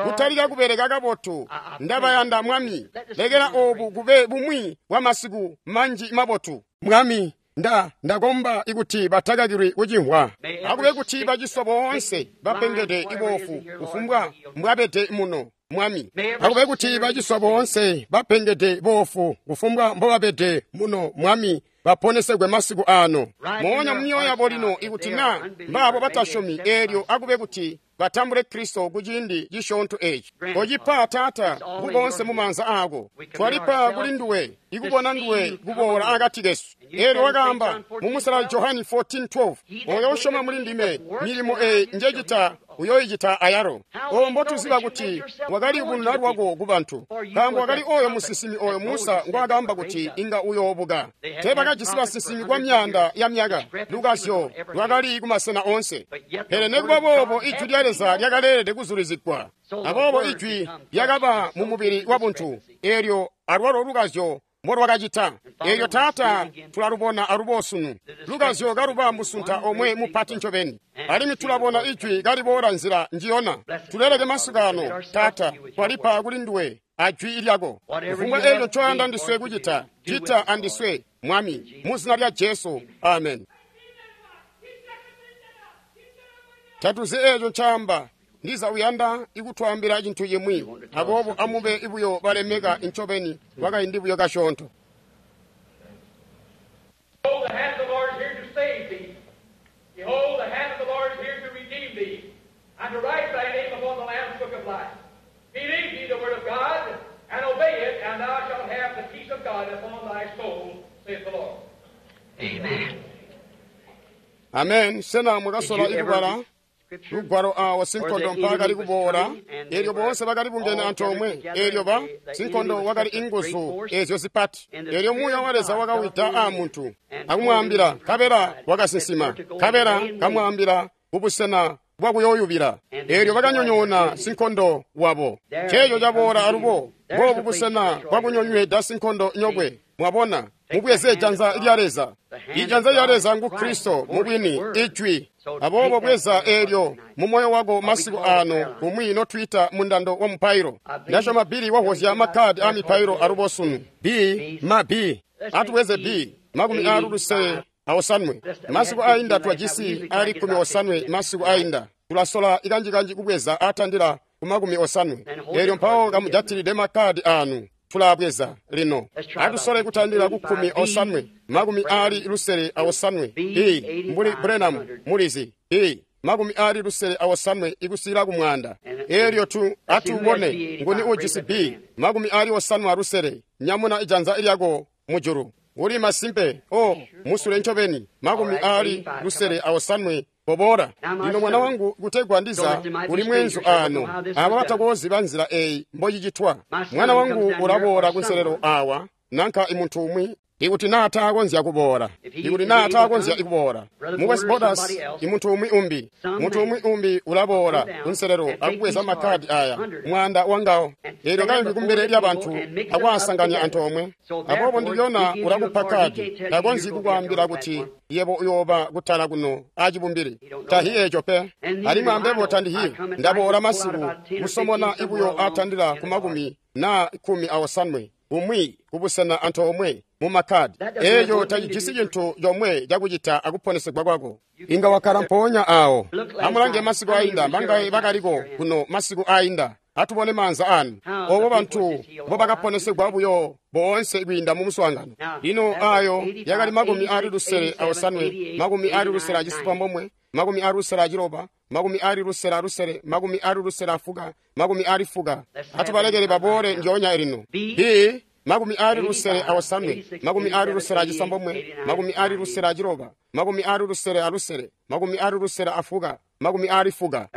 Speaker 1: Kutalika kubeleka kabotu, ndabayanda Mwami. Lekela oobu kube bumwi bwa masiku manji mabotu. Mwami, nda ndakomba ikuti batakakilwi kucimvwa. Akube kuti baciswa boonse bapengede iboofu kufumbwa mbwabede muno, Mwami. Akube kuti baciswa boonse bapengede boofu kufumbwa mbobabede muno, Mwami, baponesegwe masiku ano. Moonya mumyoyo yabo lino, ikuti naa mbaabo batasyomi, elyo akube kuti batambule Kristo ku ciindi cisyoonto eci. Kocipa, Taata, kuboonse mu maanza aako. Twalipa kuli nduwe, ikubona nduwe kuboola akati kesu. Elyo wakaamba mu Musalali Johani fourteen twelve, oyo usyoma muli ndime, milimo eyi njecita uyoyicita ayalo. Obo mbotuziba kuti wakaliyubununa lwako ku bantu, nkaambo wakali oyo musinsimi oyo Musa ngwaakaamba kuti inga uyoobuka. Teebakajisi basinsimi kwa myaanda ya myaka, lukazyo lwakali kumasena oonse. Pele nekuba boobo ijwi lya Leza lyakaleelede kuzulizigwa. Aboobo ijwi lyakaba mu mubili wa buntu, elyo alwalo lukazyo mbolwakacita. Elyo Taata, tulalubona alubo sunu, lukazyo kaluba musunta omwe mupati ncobeni. Alimwi tulabona ijwi kaliboola nzila njiyona. Tuleleke masiku ano, Taata, twalipa kuli nduwe ajwi lyako. Kufumbwa elyo ncoyanda ndiswe kucita, cita andiswe, Mwami, mu zina lya Jesu, amen. Tatuzi eco ncaamba, ndiza uyanda ikutwaambila cintu cimwi, aboobo amube ibuyo balemeka ncobeni kwakaindi buyo kasyoonto.
Speaker 3: Behold, the hand of the Lord is here to save thee. Behold, the hand of the Lord is here to redeem thee, and to write thy name upon the Lamb's book of life. Believe ye the word of God, and obey it, and thou shalt have the peace of God upon thy soul, saith the Lord.
Speaker 4: Amen.
Speaker 1: Amen. Sena mwakasola ikubala lugwalo awo sinkondo mpaakali kuboola, elyo boonse bakali bungene antoomwe, elyo ba sinkondo wakali inguzu ezyo zipati. Elyo Muuya wa Leza wakawida aa muntu akumwaambila, nkabela wakasinsima, nkabela kamwaambila kubusena bwakuyooyubila. Elyo bakanyonyoona sinkondo wabo. Ceeco caboola alubo, boobu busena bwakunyonyweda sinkondo nyokwe. Mwabona, mubweze janza lya Leza. Ijanza lya Leza ngu Kristo mubwini, Ijwi. Aboobo bweza eelyo mu moyo wako masiku ano kumwi notwiita mundando wa mupailo. Ndasyoma Billy wahozya makkadi a mipailo alubo sunu. B ma B. Atubweze B makumi aali lusele aosanwe. Masiku ainda twajisi ali kkumi osanwe masiku ainda. Tulasola ikanjikanji kubweza atandila ku makumi osanwe. Eelyo mpawo kamujatilide makkadi anu. Tulabweza lino. Atusole kutandila ku kkumi osanwe, makumi aali lusele aosanwe. B mbuli Branham mulizi. B makumi aali lusele aosanwe ikusila ku mwanda. Eelyo tu atubone nguni ujisi B makumi aali osanwe alusele. Nyamuna ijanza lyako mujulu. Uli masimpe o musule ncobeni makumi aali lusele aosanwe bobora. Lino mwana wangu kutegwa ndiza uli mwenzu ano abo batakoziba nzila eyi mbochicitwa. Mwana wangu ulaboola kunselelo awa nanka imuntu umwi ikuti naa taakonzya kuboola, ikuti naa taakonzya ikuboola mu West Borders imuntu umwi umbi, muntu umwi umbi ulaboola kunselelo akubweza makkadi aya mwanda wangawo. Eelyo kaimbi kumbele lyabantu akwaasanganya antoomwe. Aboobo ndilyona ulakupa kadi, takonzyi kukwaambila kuti yebo uyooba kutala kuno acibumbili. Tahi eeco pe. Alimwi ambebo tandihi ndaboola masiku kusomona ibuyo atandila ku makumi naa kkumi aosanwe umwi kubusena antoomwe mu makkadi. Eeco tacijisi cintu comwe cakucita akuponesegwa kwako. Inga wakkala mpoonya awo. Amulange masiku ainda mbangaye bakaliko kuno masiku ainda. Atubone maanza anu obo bantu mbobakaponesegwa buyo boonse kwiinda mu muswaangano. Lino ayo yakali makumi aali lusele aosanwe, makumi aali lusele acisambomwe, makumi aali lusele aciloba, makumi aali lusele alusele, makumi aali lusele afuka, makumi aali fuka. Atubalekele baboole njoonya elino. B makumi aali lusele aosanwe, makumi aali lusele acisambomwe, makumi aali lusele aciloba, makumi aali lusele alusele, makumi aali lusele afuka, makumi aali fuka.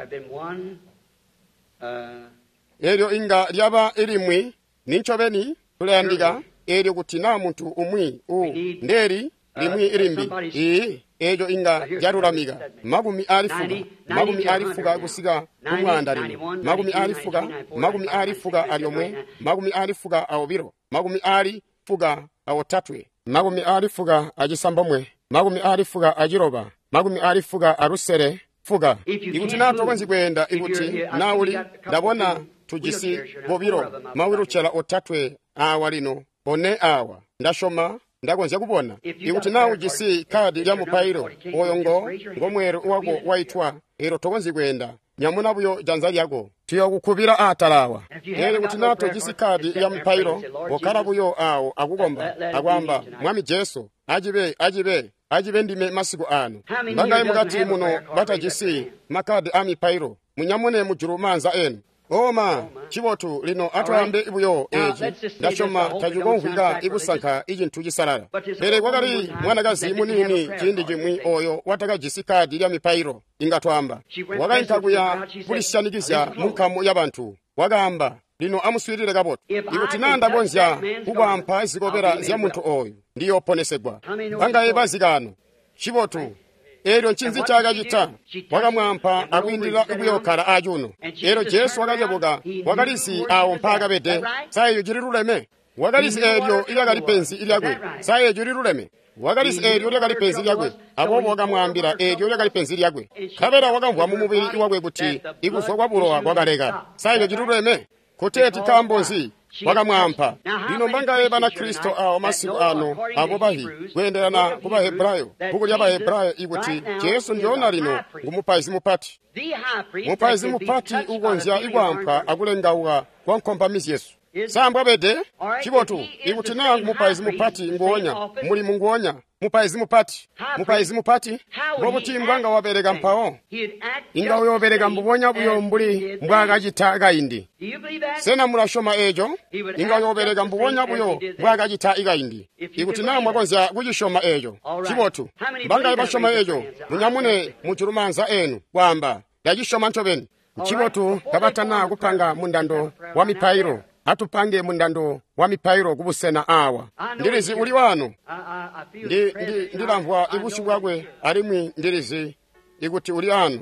Speaker 1: Eelyo inga lyaba ilimwi nincobeni tulayandika eelyo kuti naa muntu umwi u ndeli limwi ilimbi ii eelyo inga lyalulamika makumi aali fuka, makumi aali fuka kusika ku mwanda lino, makumi aali fuka, makumi aali fuka alyomwe, makumi aali fuka aobilo, makumi aali fuka aotatwe, makumi aali fuka acisambomwe, makumi aali fuka aciloba, makumi aali fuka alusele fuka. Ikuti naa tokonzyi kweenda, ikuti naa uli ndabona tujisi bobilo mawilucela otatwe awa lino, one awa ndasyoma ndakonzya kubona. Ikuti naa ujisi kadi lya mupailo oyo ngo ngomweelo wako waitwa, eelyo tokonzyi kweenda, nyamuna buyo janza lyako, tuyokukubila aatala awa. Eelyo kuti naa tojisi kadi lya mupailo, kokkala buyo awo akukomba akwaamba, Mwami Jesu, acibe acibe acibe ndime masiku ano. Mbangaye mukati muno batajisi makkadi a mipailo, munyamune mujulu maanza enu. Oma cibotu lino atwaambe buyo eeci. Ndasyoma tacikomvwika ikusanka icintu cisalala. Pele kwakali mwanakazi muniini ciindi cimwi oyo watakajisi kadi lya mipailo, inga twaamba. Wakainka kuya kulisyanikizya mu nkamu yabantu. Wakaamba, lino amuswiilile kabotu. Ikuti naa ndakonzya kukwampa zikobela zya muntu oyu, ndiyooponesegwa. Bangaye bazikano. Cibotu. Eelyo ncinzi ncaakacita? Wakamwaampa akwiindilila kuyookala acuuno. Eelyo Jesu wakacebuka, wakalizi awo mpaakabede. Sa eeco cililuleme? Wakalizi eelyo ilyakali penzi lyakwe. Sa eeco cililuleme? Wakalizi eelyo lyakali penzi lyakwe. Aboobo wakamwaambila eelyo lyakali penzi lyakwe. Nkabela wakamvwa mu mubili wakwe kuti ikuzwa kwa bulowa kwakaleka. Sa eeco cililuleme? Kuteeti nkaambo nzi? Wakamwaampa. Lino mbangaye Banakristo awo masiku ano abo bahi kweendelana ku Bahebrayo, bbuku lya Bahebrayo ikuti Jesu ndyona lino ngu mupaizi mupati. Mupaizi mupati ukonzya ikwaampa akulengauka kwa nkompami zyesu. Sa mbwabede? Cibotu, ikuti naa mupaizi mupati nguonya, mulimu nguonya, mupaizi mupati, mupaizi mupati, mbobuti mbwanga wabeleka mpawo? Inga uyoobeleka mbubonya buyo mbuli mbwaakacita kaindi. Sena mulasyoma eeco? Inga uyoobeleka mbubonya buyo mbwaakacita kaindi. Ikuti naa mwakonzya kucisyoma eeco, cibotu. Mbangaye basyoma eeco, munyamune mujulu maanza enu kwaamba, ndacisyoma ncobeni. Ncibotu kabatana kupanga mundando wa mipailo. Atupange mundando wa mipailo kubusena awa. Ndilizi uli wano. Ndi, ndi, ndilamvwa ibusyu bwakwe alimwi ndilizi ikuti uli ano.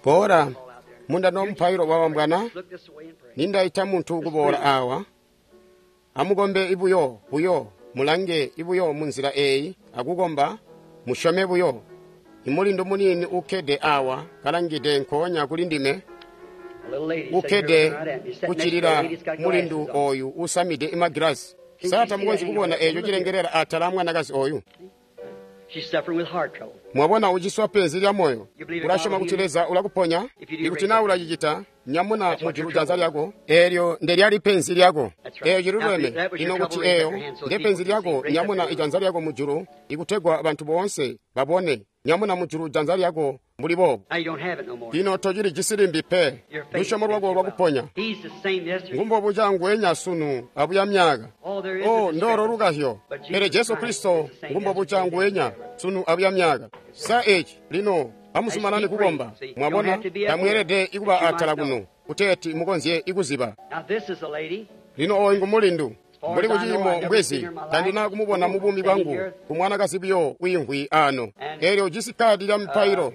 Speaker 1: Bora Mundando mupailo wabambwana, nindaita muntu kuboola awa. Amukombe ibuyo, buyo, mulange ibuyo munzila eyi, akukomba, musyome buyo. Imulindu muniini ukkede awa, kalangide nkoonya kuli ndime, ukkede kuccilila mulindu oyu usamide imagilasi. Sa tamukonzyi kubona eco cilengelela atala amwanakazi oyu? Mwabona uciswa penzi lya moyo. Ulasyoma kuti Leza ulakuponya? Ikuti naa ulacicita, nyamuna mujulu janza lyako. Eelyo ndelyali penzi lyako. Eeyo ciluleme. Ino kuti eeyo nde penzi lyako, nyamuna ijanza lyako mujulu ikutegwa bantu boonse babone. Nyamuna mujulu janza lyako mbuli boobu. Lino tocilijisi limbi pe. Lusyomo lwako lwakuponya. Ngumbobuca nguwenya sunu abuya myaka. O ndoro lukahyo. Pele Jesu Kristo ngumbobuca nguwenya sunu abuya myaka. Sa eci lino amuzumanane kukomba. Mwabona tamweelede ikuba atala kuno kuteeti mukonzye ikuziba. Lino oyu ngumulindu. Mbuli kuciimo mbwezi tandina kumubona mu buumi bwangu kumwanakazi buyo wiimvwi ano. Eelyo ujisi kadi lya mipailo.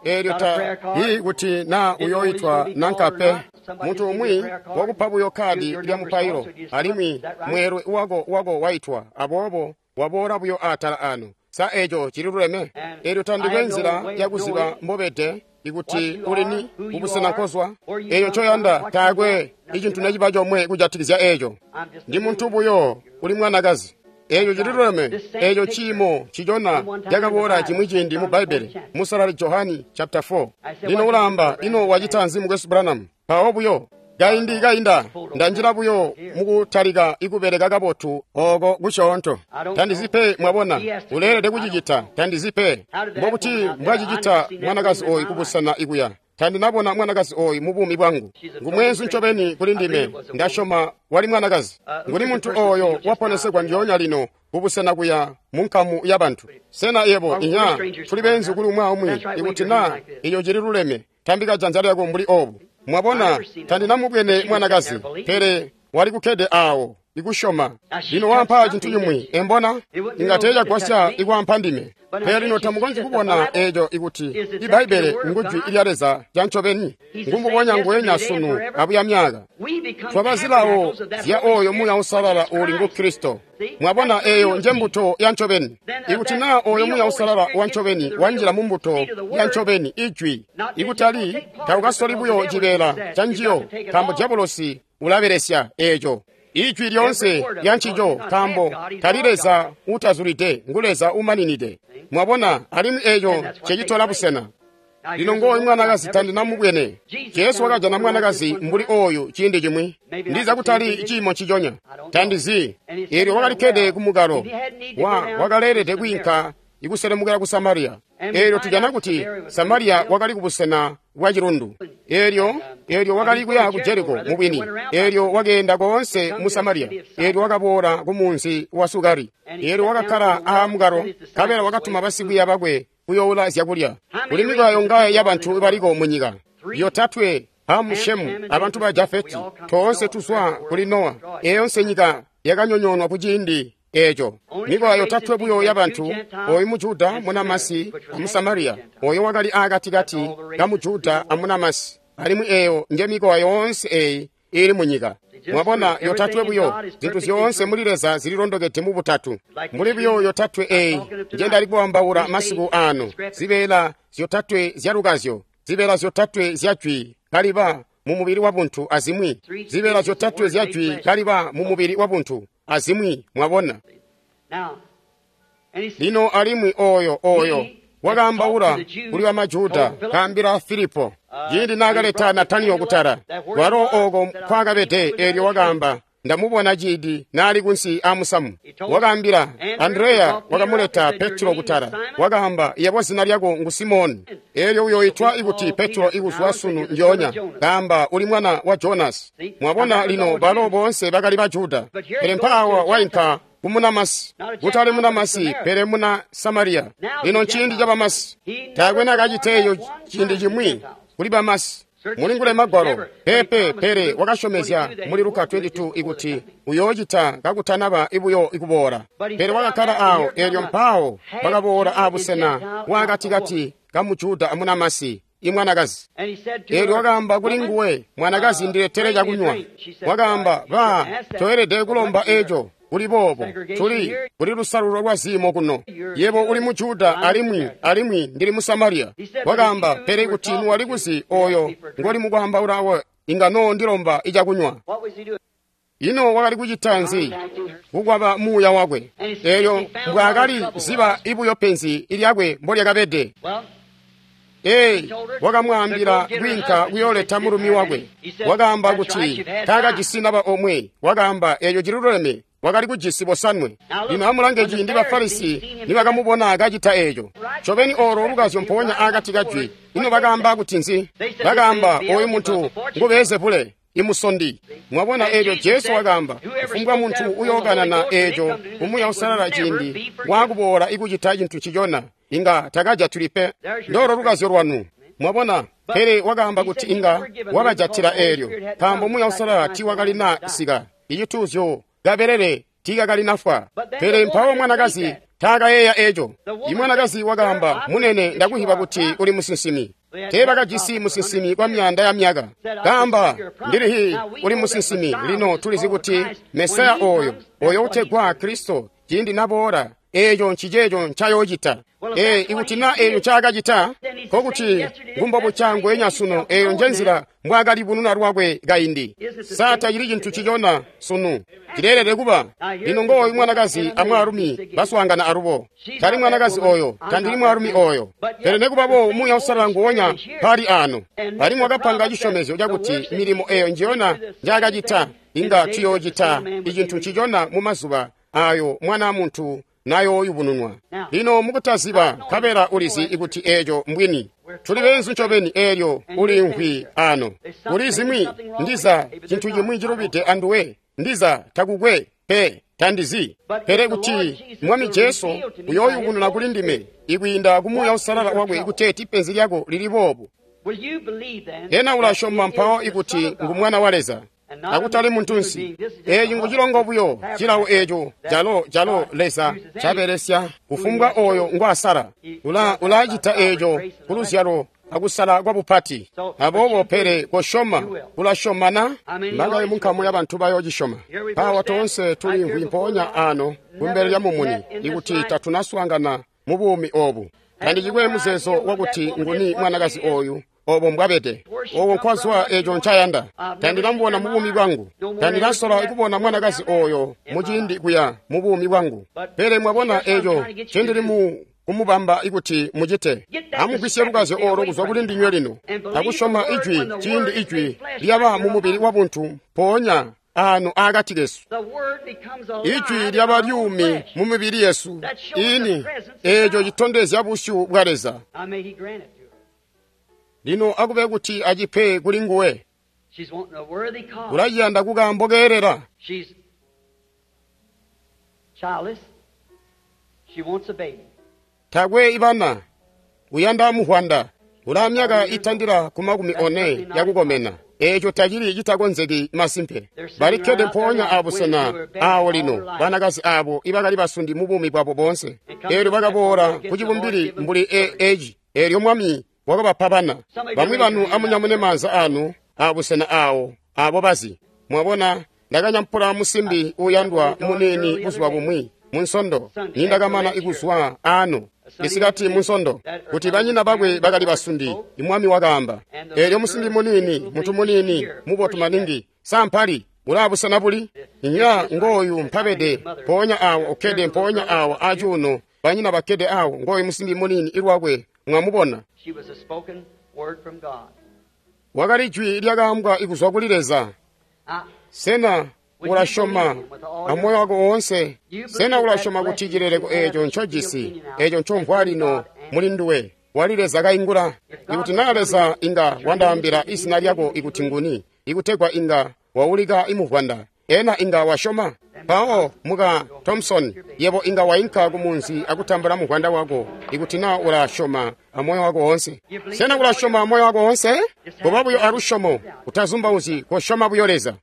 Speaker 1: Eelyo ta ii kuti naa uyoitwa nanka pe. Muntu umwi wakupa buyo kadi lya mupailo, alimwi mweelwe wako wako waitwa, aboobo waboola buyo atala ano. Sa eco cililuleme? Eelyo tandikwe nzila yakuziba mbobede ikuti ulini kubusena nkozwa. Eeyo ncoyanda taakwe icintu neciba comwe kujatikizya eco. Ndi muntu buyo uli mwanakazi. Eeco cililuleme. Eeco ciimo ncicona cakaboola cimwi ciindi mu Bbaibbele, Musalali Johani chapter four. Lino ulaamba, ino wacita nzi mukwesu Branham? Mpawo buyo kaindi kainda ndanjila buyo mukutalika ikubeleka kabotu oko kusyoonto. Tandizi pe, mwabona, uleelede kucicita. Tandizi pe mbokuti mbwacicita mwanakazi oyu kubusena ikuya. Tandinabona mwanakazi oyu mu buumi bwangu. Ngumweenzu ncobeni kuli ndime. Ndasyoma wali mwanakazi. Nguni muntu oyo waponesegwa ndyoonya lino kubusena kuya mu nkamu ya bantu. Sena yebo inya tuli beenzu kuli umwi aumwi? Ikuti naa eco cililuleme, tambika janza lyako mbuli obu. Mwabona, tandinamubwene mwanakazi, pele wali kukkede awo ikusyoma. Lino wampa cintu cimwi, embona inga teecagwasya ikwampa ndime. Pele lino tamukonzyi kubona eco ikuti Ibbaibbele ngujwi lya Leza lya ncobeni. Ngumbubonya nguwenya sunu abuya myaka. Twaba zilawo zya oyo Muuya Uusalala uuli ngu Kristo. Mwabona eyo nje mbuto ya ncobeni. Ikuti naa oyo Muuya Uusalala wa ncobeni wanjila mu mbuto ya ncobeni, ijwi, ikutali taukasoli buyo cibeela ca njiyo, nkaambo diabolosi ulabelesya eco. Ijwi lyoonse lya ncico, nkaambo tali Leza utazulide, ngu Leza umaninide. Mwabona, alimwi eco cecitola busena. Lino ngooyu mwanakazi tandinamubwene. Jesu wakajana mwanakazi mbuli oyu ciindi cimwi. Ndiza kutali ciimo nciconya. Tandizi. Eelyo wakalikkede ku mukalo. Wa wakaleelede kwiinka ikuselemukila ku Samariya. Eelyo tujana kuti Samariya wakali kubusena bwa cilundu. Eelyo, eelyo wakali kuya ku Jeriko mubwini. Eelyo wakeenda koonse mu Samariya. Eelyo wakaboola ku munzi wa Sukari. Eelyo wakakkala aamukalo, nkabela wakatuma basikwiiya bakwe kuyoula zyakulya. Kuli mikowa yongaye yabantu baliko munyika. Yotatwe, Hamu, Shemu, abantu ba Jafeti, toonse tuzwa kuli Nowa. Eyo nyika yakanyonyoonwa ku ciindi eco. Mikowa yotatwe buyo yabantu, oyu Mujuda, Munamasi, amu Samariya, oyo wakali aakatikati ka Mujuda amunamasi. Alimwi eyo nje mikowa yoonse eyi ili munyika. Mwabona, yotatwe buyo, zintu zyoonse muli Leza zililondokede mu butatu. Muli buyo yotatwe eyi nje ndali kuambaula masiku ano, zibeela zyotatwe zyalukazyo, zibeela zyotatwe zya jwi kaliba mu mubili wa buntu azimwi, zibeela zyotatwe zya jwi kaliba mu mubili wa buntu azimwi. Mwabona lino, alimwi oyo oyo wakaambaula kuli bamajuda kaambila Filipo ciindi naakaleta Nataniyo kutala walo oko nkwakabede. Eelyo wakaamba, ndamubona ciindi naali kunsi aamusamu. Wakaambila Andreya, wakamuleta Petro kutala. Wakaamba, yebo zina lyako ngu Simoni, eelyo uyoitwa ikuti Petro ikuzwa sunu njoonya. Kaamba, uli mwana wa Jonasi. Mwabona lino, balo boonse bakali Bajuda, pele mpaawa wainka kumunamasi, kutali munamasi pele muna Samariya. Lino nciindi ca bamasi. Taakwe naakaciteeyo ciindi cimwi kuli bamasi. Mulingule magwalo pepe, pele wakasyomezya muli Luka twenty two ikuti uyoocita kakutanaba ibuyo ikuboola. Pele wakakkala awo, eelyo mpawo wakaboola aabusena bwaakatikati ka Mujuda amunamasi. imwanakazi. Eelyo wakaamba kuli nguwe, mwanakazi, ndiletele cakunywa. Wakaamba, ba, toelede kulomba eco. Kuli boobo, tuli kuli lusalulo lwa ziimo kuno. Yebo uli mu Juda alimwi alimwi ndili mu Samaria. Wakaamba, pele kuti nuwali kuzi oyo ngoli mukwaambaula inga noo ndilomba icakunywa. Ino wakali kucita nzi? Kukwaba muuya wakwe. Eelyo mbwaakali ziba ibuyo penzi lyakwe mbolyakabede. Ee, wakamwaambila kwiinka kuyooleta mulumi wakwe. Wakaamba kuti taakajisi naba omwe. Wakaamba eeco ciluleme. Wakali kujisi bosanwe. Lino amulange ciindi Bafarisi nibakamubona kacita eeco. Ncobeni oolo lukazyo mpoonya akati kajwi. Ino bakaamba kuti nzi? Bakaamba, oyu muntu ngu Beelzebule, imusondi. Mwabona eeco Jesu wakaamba, kufumbwa muntu uyookanana eeco Umuuya Uusalala ciindi waakuboola ikucita cintu ncicona, inga takajatuli pe. Ndoolo lukazyo lwanu. Mwabona, pele wakaamba kuti inga wabajatila eelyo, nkaambo Muuya Uusalala tiiwakalina sika. Icituuzyo kabelele tiikakalinafwa. Pele mpawo mwanakazi taakayeeya eeco. Imwanakazi wakaamba, munene, ndakuhiba kuti uli musinsimi. Teebakajisi musinsimi kwa myaanda ya myaka. Kaamba, ndilihi uli musinsimi. Lino tulizi kuti Mesaya oyo, oyo utegwa Kristo, ciindi naboola, eeco nciceeco ncayoocita. Ee, ikuti na eeco ncaakacita, nkokuti ngumbobuca ngweenya sunu. Eeyo njenzila mbwaakalibununa lwakwe kaindi. Sa tacili cintu cicona sunu? Cileelede kuba. Lino ngooyu mwanakazi amwaalumi baswaangana alubo. Tali mwanakazi oyo, tandili mwaalumi oyo. Pele nekubaboobo Muuya Uusalala nguwonya mpali ano. Alimwi wakapanga cisyomezyo cakuti milimo eeyo njiyona njaakacita inga tuyoocita icintu ncicona mumazuba ayo Mwana muntu nayooyubununwa. Lino mukutaziba, nkabela ulizi ikuti eeco mbwini. Tuli beenzu ncobeni eelyo ulimvwi ano. Kuli zimwi ndiza cintu cimwi cilubide anduwe, ndiza takukwe pe, tandizi. Pele kuti Mwami Jesu uyooyubununa kuli ndime ikwiinda ku Muuya Uusalala wakwe ikuteeti penzi lyako lili boobu. Hena ulasyoma mpawo ikuti ngu Mwana wa Leza, akutali muntunsi? Eeci ngucilongo buyo cilawo eeco calo calo Leza cabelesya kufumbwa oyo ngwasala. Ula ulacita eeco kuluzyalo akusala kwa bupati. Aboobo pele kosyoma, ulasyomana mbangaye munkamu ya bantu bayoocisyoma. Mpawa toonse tulimvwi mpoonya ano kumbele lya mumuni ikuti tatunaswaangana mu buumi oobu. Tandicikwe muzeezo wakuti nguni mwanakazi oyu obo mbwabede, owo nkwazwa eeco ncayanda. Tandinamubona mu buumi bwangu. Tandinasola kubona mwanakazi oyo muciindi kuya mu buumi bwangu. Pele mwabona eeco ncendili mu kumubamba ikuti mucite. Amugwisye lukazyo olo kuzwa kuli ndinywe lino, akusyoma ijwi ciindi ijwi lyaba mu mubili wabuntu mpoonya ano akati kesu. Ijwi lyaba lyumi mu mibili yesu ini, eeco citondezya busyu bwa Leza. Lino akube kuti acipe kuli nguwe. Ulaciyanda kukaambo keelela. Takwe ibana, uyanda muhwanda. Ula myaka itandila ku makumi one yakukomena. Eeco tacili citakonzeki masimpe. Balikkede mpoonya abusena aawo lino banakazi aabo ibakali basundi mu buumi bwabo boonse. Eelyo bakaboola ku cibumbili mbuli eci. Eelyo Mwami wakabapa bana. Bamwi banu amunyamune maanza anu abusena aawo abo bazi. Mwabona, ndakanyampula musimbi uuyandwa muniini buzuba bumwi munsondo nindakamana ikuzwa ano isikati munsondo kuti banyina bakwe bakali basundi. Imwami wakaamba, eelyo musimbi muniini, muntu muniini mubotu maningi, sampali ulaabusena buli inya ngooyu mpabede mpoonya awo ukkede mpoonya awo acuuno, banyina bakkede awo, ngooyu musimbi muniini ilwakwe mwamubona. Wakali jwi lyakaambwa ikuzwa kuli Leza. Sena ulasyoma amoyo wako woonse? Sena ulasyoma kuti cileleko eeco ncojisi, eeco ncomvwa lino muli nduwe, wali Leza kaingula? Ikuti naa Leza inga wandaambila izina lyako ikuti nguni, ikutegwa inga waulika imuvwanda, ena inga wasyoma? Mpawo muka Thompson, yebo inga wainka kumunzi akutambula muvwanda wako ikuti naa ulasyoma amoyo wako woonse. Sena ulasyoma amoyo wako woonse? Koba buyo alusyomo, utazumbauzyi, kosyoma buyo Leza.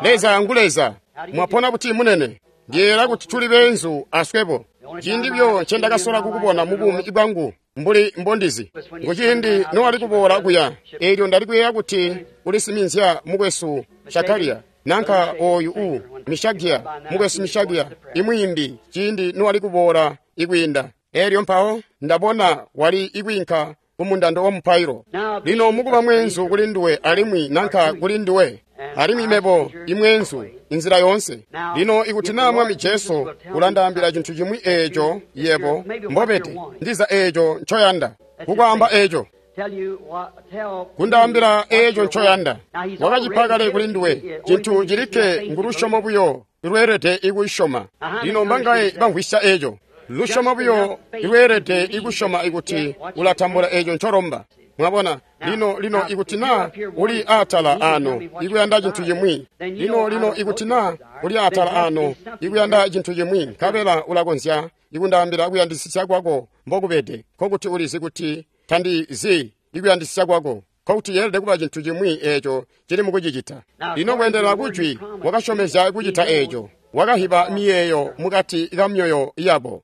Speaker 1: Leza ngu Leza. Mwapona buti munene? Ndiyeeyela kuti tuli beenzu aswebo. Ciindi buyo ncendakasola kukubona mu buumi bwangu mbuli mbondizi nguciindi nowali kuboola kuya. Eelyo ndali kuyeeya kuti ulisiminzya mukwesu Shakaria nanka oyu u Mishagia, mukwesu Mishagia imwiimbi, ciindi nowali kuboola ikwiinda. Eelyo mpawo ndabona wali ikwiinka kumundando wa mupailo. Lino mukuba mweenzu kuli nduwe alimwi nanka kuli nduwe, alimwi mebo imweenzu inzila yoonse. Lino ikuti naa Mwami Jesu ulandaambila cintu cimwi eeco yebo mbobede, ndiza eeco ncoyanda kukwaamba eeco, kundaambila eeco ncoyanda. Wakacipa kale kuli nduwe. Cintu cilikke ngulusyomo buyo lweelede ikusyoma. Lino mbangaye bamvwisya eeco? Lusyomo buyo lweelede ikusyoma ikuti ulatambula eeco ncolomba. Mwabona? Lino, lino ikuti naa uli atala ano ikuyanda cintu cimwi, lino, lino ikuti naa uli atala ano ikuyanda cintu cimwi, nkabela ulakonzya ikundaambila kuyandisisya kwako mbokubede, nkokuti ulizi kuti tandizi ikuyandisisya kwako, nkokuti yeelede kuba cintu cimwi eeco cili mukucicita. Lino kweendelana kujwi wakasyomezya kucita eeco, wakahiba miyeeyo mukati ka myoyo yabo.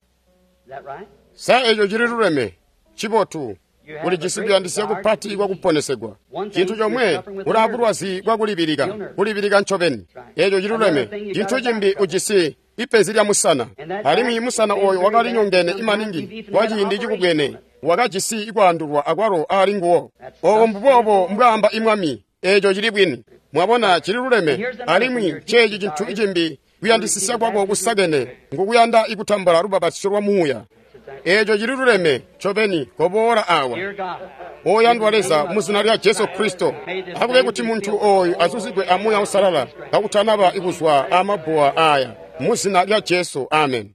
Speaker 1: Sa eeco cili luleme? Cibotu. Ulijisi kuyandisya kupati kwakuponesegwa. Cintu comwe, ulaa bulwazi bwakulibilika, kulibilika ncobeni. Eeco ciluleme. Cintu cimbi, ujisi ipenzi lya musana, alimwi musana ooyo wakali nyongene imaningi kwa ciindi cikubwene, wakajisi ikwaandulwa akwalo aali nguwo. Oobo mbuboobo mbwaamba imwami. Eeco cili bwini. Mwabona, cili luleme. Alimwi ceeci cintu cimbi, kuyandisisya kwako kusakene ngukuyanda ikutambula lubapatizyo lwa muuya. Eeco cili luleme ncobeni. Koboola awa, oyandwa Leza, mu zina lya Jesu Kristo, akube kuti muntu ooyu azuzigwe a Muuya Uusalala kakutanaba ikuzwa amabbuwa aya, mu zina lya Jesu. Amen.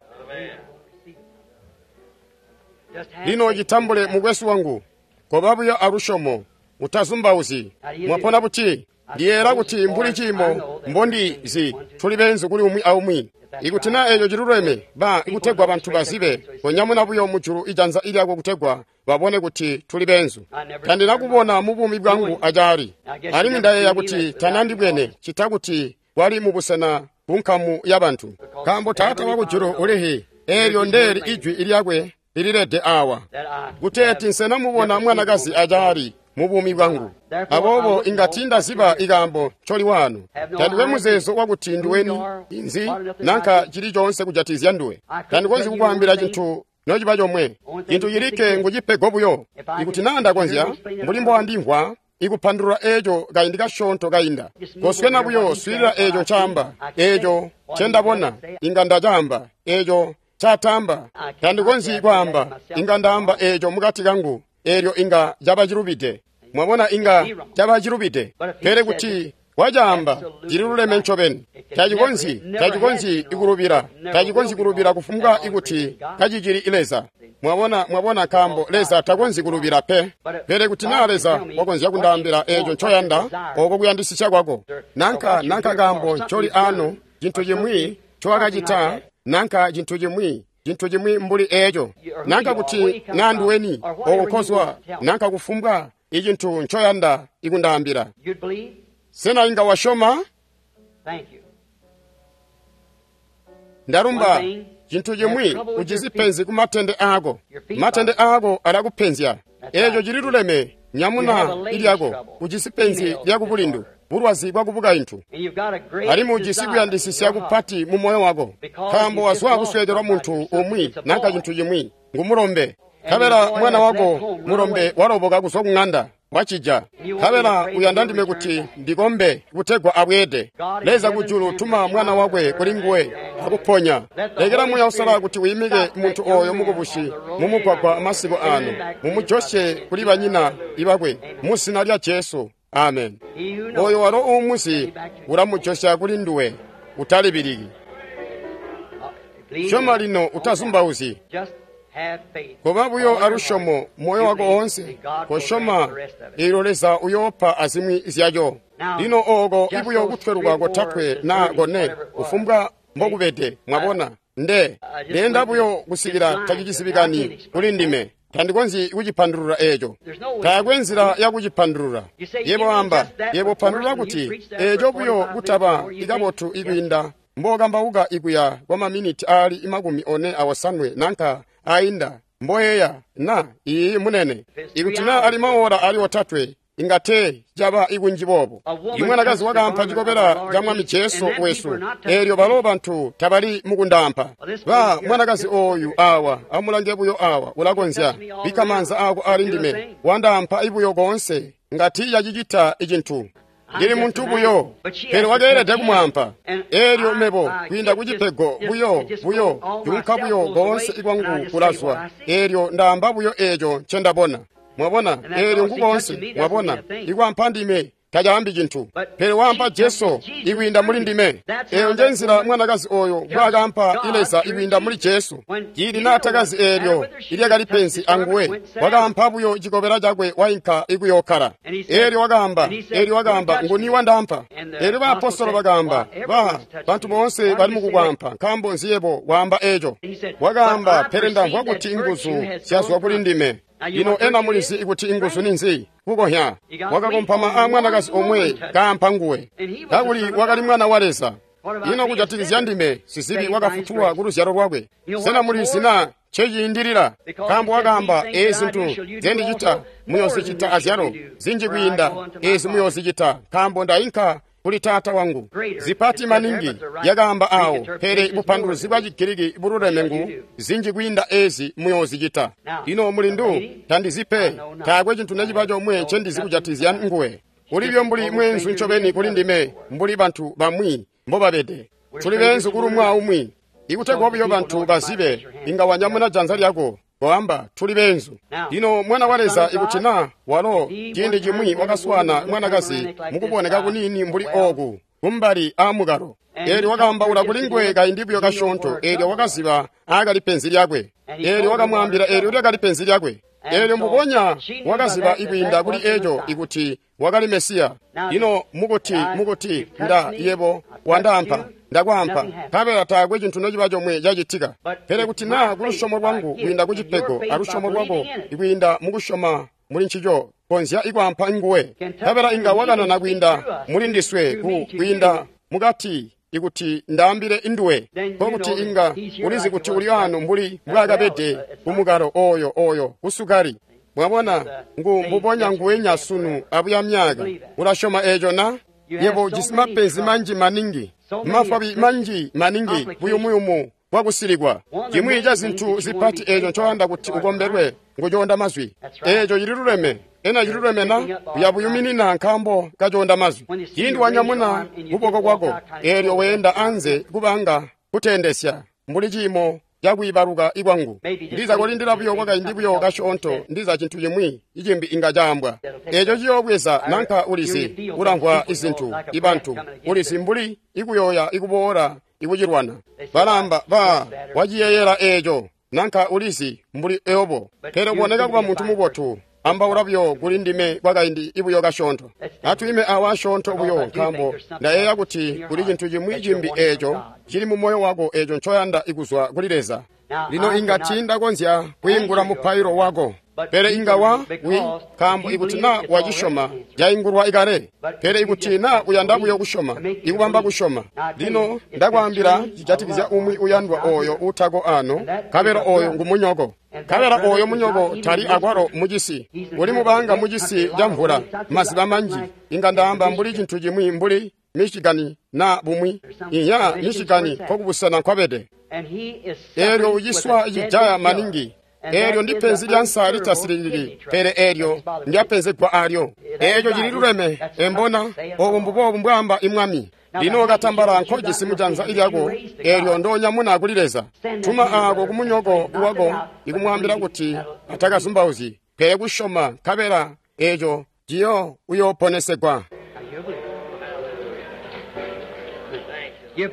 Speaker 1: Lino citambule, mukwesu wangu. Koba buyo alusyomo, utazumbauzyi. Mwapona buti? Ndiyeera kuti mbuli ciimo mbondizi tuli beenzu kuli umwi aumwi. Ikuti naa eeco ciluleme, ba ikutegwa bantu bazibe, konyamuna buyo mujulu ijanza ilyako kutegwa babone kuti tuli beenzu. Tandinakubona mu buumi bwangu acaali, alimwi ndayeeya kuti tanandibwene cita kuti wali mubusena kunkamu yabantu. Nkaambo Taata wakujulu ulihi, eelyo ndeeli ijwi lyakwe lililede awa, kuteeti nsenamubona mwanakazi acaali mu buumi bwangu. Aboobo inga tiindaziba ikaambo ncoli wano. Tandikwe muzeezo wakuti nduweni inzi nanka cili coonse kujatizya nduwe. Tandikonzyi kukwaambila cintu nociba comwe. Cintu cilikke ngucipego buyo. Ikuti naa ndakonzya, mbuli mbowandimvwa ikupandulula eeco kaindi kasyoonto kainda. Koswena buyo, swiilila eeco ncaamba, eeco ncendabona inga ndacaamba, eeco ncaatamba tandikonzyi kwaamba, inga ndaamba eeco mukati kangu, eelyo inga caba cilubide. Mwabona, inga caba cilubide. Pele kuti wacaamba cililuleme ncobeni. Tacikonzyi, tacikonzyi ikulubila, tacikonzyi kulubila kufumbwa ikuti kacicili Leza. Mwabona, mwabona, nkaambo Leza takonzyi kulubila pe. Pele kuti naa Leza wakonzya kundaambila eeco ncoyanda, ooko kuyandisisya kwako, nanka nanka kaambo ncoli ano, cintu cimwi ncowakacita, nanka cintu cimwi, cintu cimwi mbuli eeco, nanka kuti naa nduweni ooko nkozwa, nanka kufumbwa icintu ncoyanda ikundaambila. Sena inga wasyoma? Ndalumba. Cintu cimwi, ujisi penzi ku matende aako. Matende aako alakupenzya. Eeco cililuleme. Nyamuna ilyako. Ujisi penzi lyakubulindu, bulwazi bwakubukaintu, alimwi ujisi kuyandisisya kupati mu moyo wako, nkaambo wazwa kusweekelwa muntu umwi nanka cintu cimwi, ngumulombe. Nkabela mwana wako mulombe waloboka kuzwa ku ŋanda, wacija. Nkabela uyanda ndime kuti ndikombe kutegwa abweede. Leza kujulu, tuma mwana wakwe kuli nguwe akuponya. Lekela Muuya Uusalala kuti wiimike muntu ooyo mukubusi mumugwagwa masiku ano, mumujosye kuli banyina ibakwe, mu zina lya Jesu. Amen. Oyo walo uumuzi ulamujosya kuli nduwe. Utalibiliki. Syoma lino, utazumbauzyi. Koba buyo alusyomo moyo wako oonse, kosyoma eelyo Leza uyoopa azimwi zyaco. Lino ooko ibuyo kutweluka kotatwe naa kone, kufumbwa mbokubede, mwabona, nde ndeenda buyo kusikila tacicizibikani kuli ndime. Tandikonzyi kucipandulula eeco. Taakwe nzila yakucipandulula. Yebo amba, yebo pandulula kuti eeco buyo kutaba ikabotu ikwiinda mbokambauka ikuya kwa maminiti aali makumi one awosanwe nanka ainda mboyeya na iyi munene ikuti na ali maora ali otatwe ingate caba ikunji boobo imwanakazi wakaampa cikobela ca mwami Jesu wesu eelyo balo bantu tabali mukundampa ba mwanakazi oyu awa amulange buyo awa ulakonzya bika maanza ako ali ndime wandaampa ibuyo koonse ngati yacicita icintu ndili muntu buyo pele wakeelede kumwampa eelyo mebo kwiinda kucipego buyo buyo junka buyo koonse ikwangu kulazwa eelyo ndaamba buyo eeco ncendabona mwabona eelyo nkukoonse mwabona ikwampa ndime tacaambi cintu pele wampa Jesu ikwiinda muli ndime eyo nje nzila mwanakazi oyo mbwakaampa ileza ikwiinda muli Jesu cili naatakazi eelyo ilyakali penzi anguwe wakaampa buyo cikobela cakwe wainka ikuyokkala eelyo wakaamba eelyo wakaamba nguni wandampa eelyo baapostolo bakaamba ba bantu boonse bali mukukwampa nkaambo nzi yebo waamba eco wakaamba pele ndamvwa kuti inguzu zyazwa kuli ndime lino ena mulizi ikuti inguzu ninzi kukohya wakakompama a mwanakazi omwe kaampa nguwe kakuli wakali mwana wa Leza ino kujatikizya ndime sizibi wakafutulwa ku luzyalo lwakwe sena mulizi na nceciindilila nkaambo wakaamba ezi zintu zendicita muyoozicita azyalo zinji kwiinda ezi muyoozicita nkaambo ndainka kuli taata wangu zipati maningi yakaamba awo pele bupanduluzi bwa Chigiriki bululeme ngu zinji kwiinda ezi muyoozicita lino mulindu tandizipe taakwe cintu neciba comwe ncendizi kujatizya nguwe ulibyo mbuli mweenzu ncobeni kuli ndime mbuli bantu bamwi mbobabede tuli beenzu kuli umwi aumwi ikutegwa buyo bantu bazibe inga wanyamuna janza lyako koamba tuli beenzu lino mwana wa Leza ikuti na walo ciindi cimwi wakaswana mwanakazi mukuboneka kunini mbuli ooku kumbali aamukalo eelyo wakaambaula kuli nguwe kaindi buyo kasyoonto eelyo wakaziba aakali penzi lyakwe eelyo wakamwaambila eelyo lyakali penzi lyakwe eelyo mbubonya wakaziba ikwiinda kuli eco ikuti wakali Mesiya lino mukuti mukuti nda yebo wandaampa ndakwaampa nkabela taakwe cintu nociba comwe cacitika pele kuti naa kulusyomo lwangu kwiinda kucipego alusyomo lwako ikwiinda mukusyoma muli ncico konzya ikwaampa nguwe nkabela inga wakanana kwiinda muli ndiswe ku kwiinda mukati ikuti ndaambile induwe nkokuti inga ulizi kuti uli ano mbuli mbwaakabede kumukalo oyo oyo kusukali mwabona ngu mbubonya nguwenya sunu abuya myaka ulasyoma eco na yebo ujisi mapenzi manji maningi mafwabi manji maningi buyumuyumu bwakusilikwa cimwi ca zintu zipati eco ncoyanda kuti ukombelwe ngucoonda mazwi eco cililuleme ena cililuleme na uyabuyuminina nkaambo kacoonda mazwi ciindi wanyamuna kuboko kwako eelyo weenda anze kubanga kuteendesya mbuli ciimo cakwiibaluka ikwangu ndiza kulindila buyo kwakaindi buyo kasyoonto ndiza cintu cimwi icimbi inga caambwa eco ciyoobweza nanka ulizi ulamvwa izintu ibantu ulizi mbuli ikuyoya ikuboola ikucilwana balamba ba waciyeyela eco nanka ulizi mbuli eobo pele kuboneka kuba muntu mubotu ambaula buyo kuli ndime kwakaindi ibuyo kasyoonto atwiime awa asyoonto buyo nkaambo ndayeeya kuti kuli cintu cimwi cimbi eco cili mu moyo wako eco ncoyanda ikuzwa kuli Leza lino inga tiindakonzya kwiingula mupailo wako pele inga wa wi nkaambo ikuti na wacisyoma yaingulwa ikale pele ikuti na uyanda buyo kusyoma ikubamba kusyoma lino ndakwaambila cijatikizya umwi uyandwa oyo utako ano nkabela oyo ngumunyoko nkabela oyo munyoko tali akwalo mucisi uli mubanga mucisi ca mvula maziba manji inga ndaamba mbuli cintu cimwi mbuli Michigan na bumwi inya Michigan kokubusena nkwabede eelyo uciswa cijaya maningi eelyo ndi penzi lya nsa litasilikiki pele eelyo ndyapenzegwa alyo eeco cililuleme embona obu mbubobu mbwaamba imwami lino katambala nkojisi mujanza ilyako eelyo ndonyamuna kuli Leza tuma aako kumunyoko wako ikumwaambila kuti atakazumbauzyi pele kusyoma nkabela eeco ciyo uyooponesegwa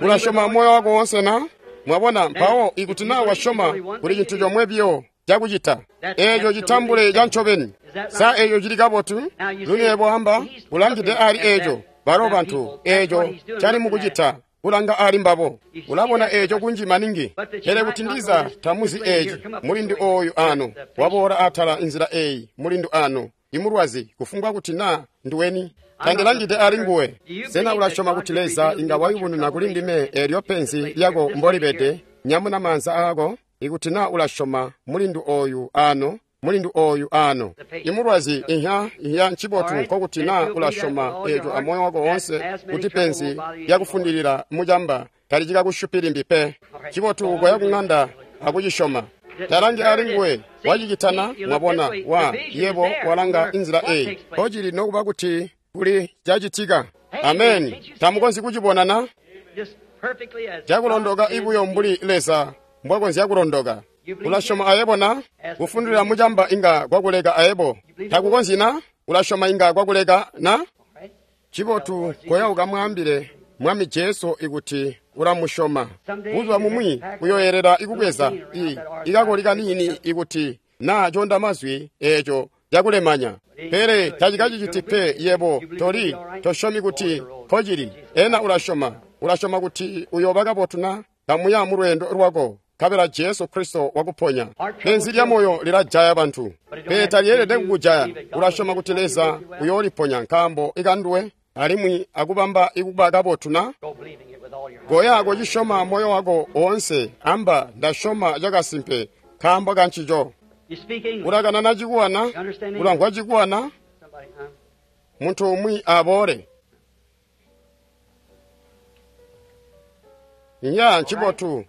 Speaker 1: ulasyoma moyo wako wonse na mwabona mpawo ikuti na wasyoma kuli cintu comwe biyo cakucita eeco citambule ca ncobeni sa eeco cili kabotu lunebo amba ulangide ali eeco balo bantu eeco cali mukucita kulanga ali mbabo ulabona eeco kunji maningi pele kuti ndiza tamuzi eeci mulindi oyu ano waboola atala inzila eyi mulindu ano imulwazi kufumbwa kuti na nduweni Tandilangide ali nguwe. Sena ulasyoma kuti Leza inga wayubununa kuli ndime eelyo penzi lyako mbolibede? Nyamuna maanza aako. Ikuti na ulasyoma mulindu oyu ano, mulindu oyu ano. Imulwazi inha inha ncibotu nkokuti na ulasyoma eeco amoyo wako woonse kuti penzi lyakufundilila mucamba talicikakushupi limbi pe. Ncibotu koya kuŋanda akucisyoma. Talangi ali nguwe wacicitana mwabona wa yebo walanga inzila eyi kocili nokuba kuti kuli cacitika. Ameni. Tamukonzyi kucibona na? Cakulondoka ibuyo mbuli Leza mbwakonzya kulondoka. Ulasyoma ayebo na? Kufundilila mucamba inga kwakuleka ayebo. Takukonzyi na? Ulasyoma inga kwakuleka na? Cibotu koya ukamwaambile Mwami Jesu ikuti ulamusyoma. Buzuba bumwi uyoyelela ikubweza i ikakoli kaniini ikuti na conda mazwi eeco cakulemanya. Pele tacikaciciti pe yebo toli tosyomi kuti nkocili. Ena ulasyoma. Ulasyoma kuti uyooba kabotu na? Kamuya mu lweendo lwako. Nkabela Jesu Kristo wakuponya. Penzi lya moyo lilajaya bantu. Pele talyeelede kukujaya. Ulasyoma kuti Leza uyooliponya nkaambo ikanduwe alimwi akubamba ikuba kabotu na? Koya kocisyoma moyo wako woonse. Amba ndasyoma cakasimpe nkaambo kancico. Ulakanana cikuwa na? Ulamvwa cikuwa na? Muntu umwi aboole. Nya ncibotu.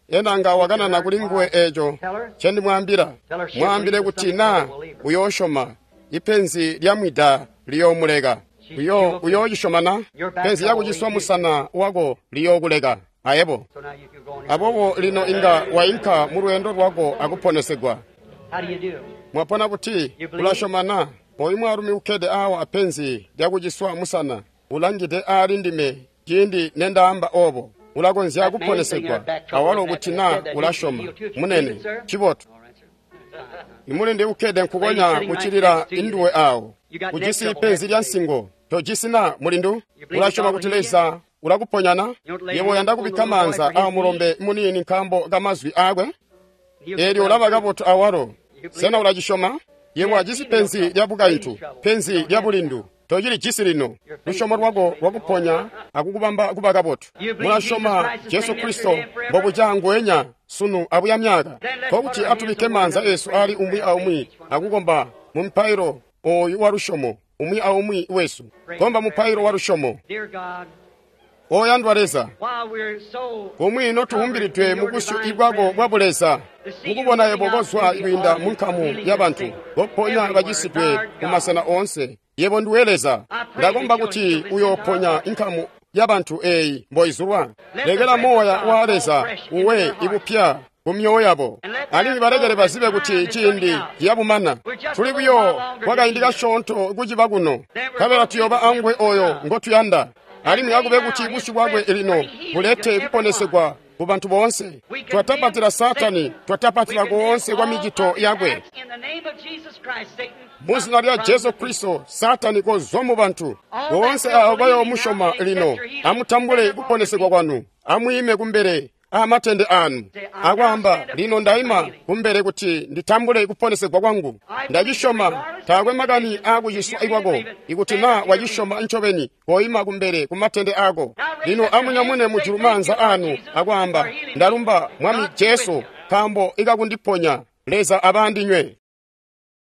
Speaker 1: Ena nga wakanana kuli nguwe eeco ncendimwaambila. Mwaambile kuti na uyoosyoma ipenzi lya mwida liyoomuleka. Uyo uyoocisyoma na? Penzi lyakuciswa musana wako liyookuleka ayebo. Aboobo lino inga wainka mu lweendo lwako akuponesegwa. Mwapona kuti ulasyoma na? Oyu mwaalumi ukkede awa apenzi lyakuciswa musana ulangide aali ndime ciindi nendaamba obo. Ulakonzya kuponesegwa awalo kuti na ulasyoma. Munene cibotu. Imulindi ukkede nkukonya kucilila induwe awo. Ujisi penzi lya nsingo. Tojisi na mulindu? Ulasyoma kuti Leza ulakuponya na? Yebo uyanda kubikka maanza aa mulombe muniini nkaambo kamazwi aakwe? Eelyo ulaba kabotu awalo. Sena ulacisyoma? Yebo ajisi penzi lya bukaintu, penzi lya bulindu. Tocili jisi lino. Lusyomo lwako lwakuponya akukubamba kuba kabotu. Mulasyoma Jesu Kristo mbobuca nguwenya sunu abuya myaka. Nkokuti atubikke maanza esu ali umwi aumwi akukomba mu mupailo oyu wa lusyomo umwi aumwi wesu. Komba mupailo wa lusyomo. Oyandwa Leza, kumwi notuwumbilidwe mu busyu bwako bwa buleza, mukubona yebo kozwa kwiinda mu nkamu ya bantu, koponya bacisidwe mu masena oonse. Yebo nduwe Leza. Ndakomba kuti uyooponya inkamu ya bantu eyi mboizulwa. Lekela moya wa Leza uwe ibupya ku myoyo yabo. Alimwi balekele bazibe kuti ciindi ciyabumana. Tuli buyo kwakaindi kasyoonto kuciba kuno. Nkabela tuyooba angwe oyo ngotuyanda. Alimwi akube kuti busyu bwakwe lino bulete kuponesegwa ku bantu boonse. Twatapatila Saatani, twatapatila koonse kwa micito yakwe. Mu zina lya Jesu Kristo, Saatani kozwa mu bantu. Boonse abo bayoomusyoma lino, amutambule kuponesegwa kwanu. Amwiime kumbele amatende anu. Akwaamba, lino ndaima kumbele kuti nditambule kuponesegwa kwangu. Ndacisyoma, taakwe makani aakuciswa ikwako. Ikuti na wacisyoma ncobeni, koima kumbele kumatende ako. Lino amunyamune mujulu maanza anu akwaamba, ndalumba Mwami Jesu, nkaambo ikakundiponya. Leza abandinywe.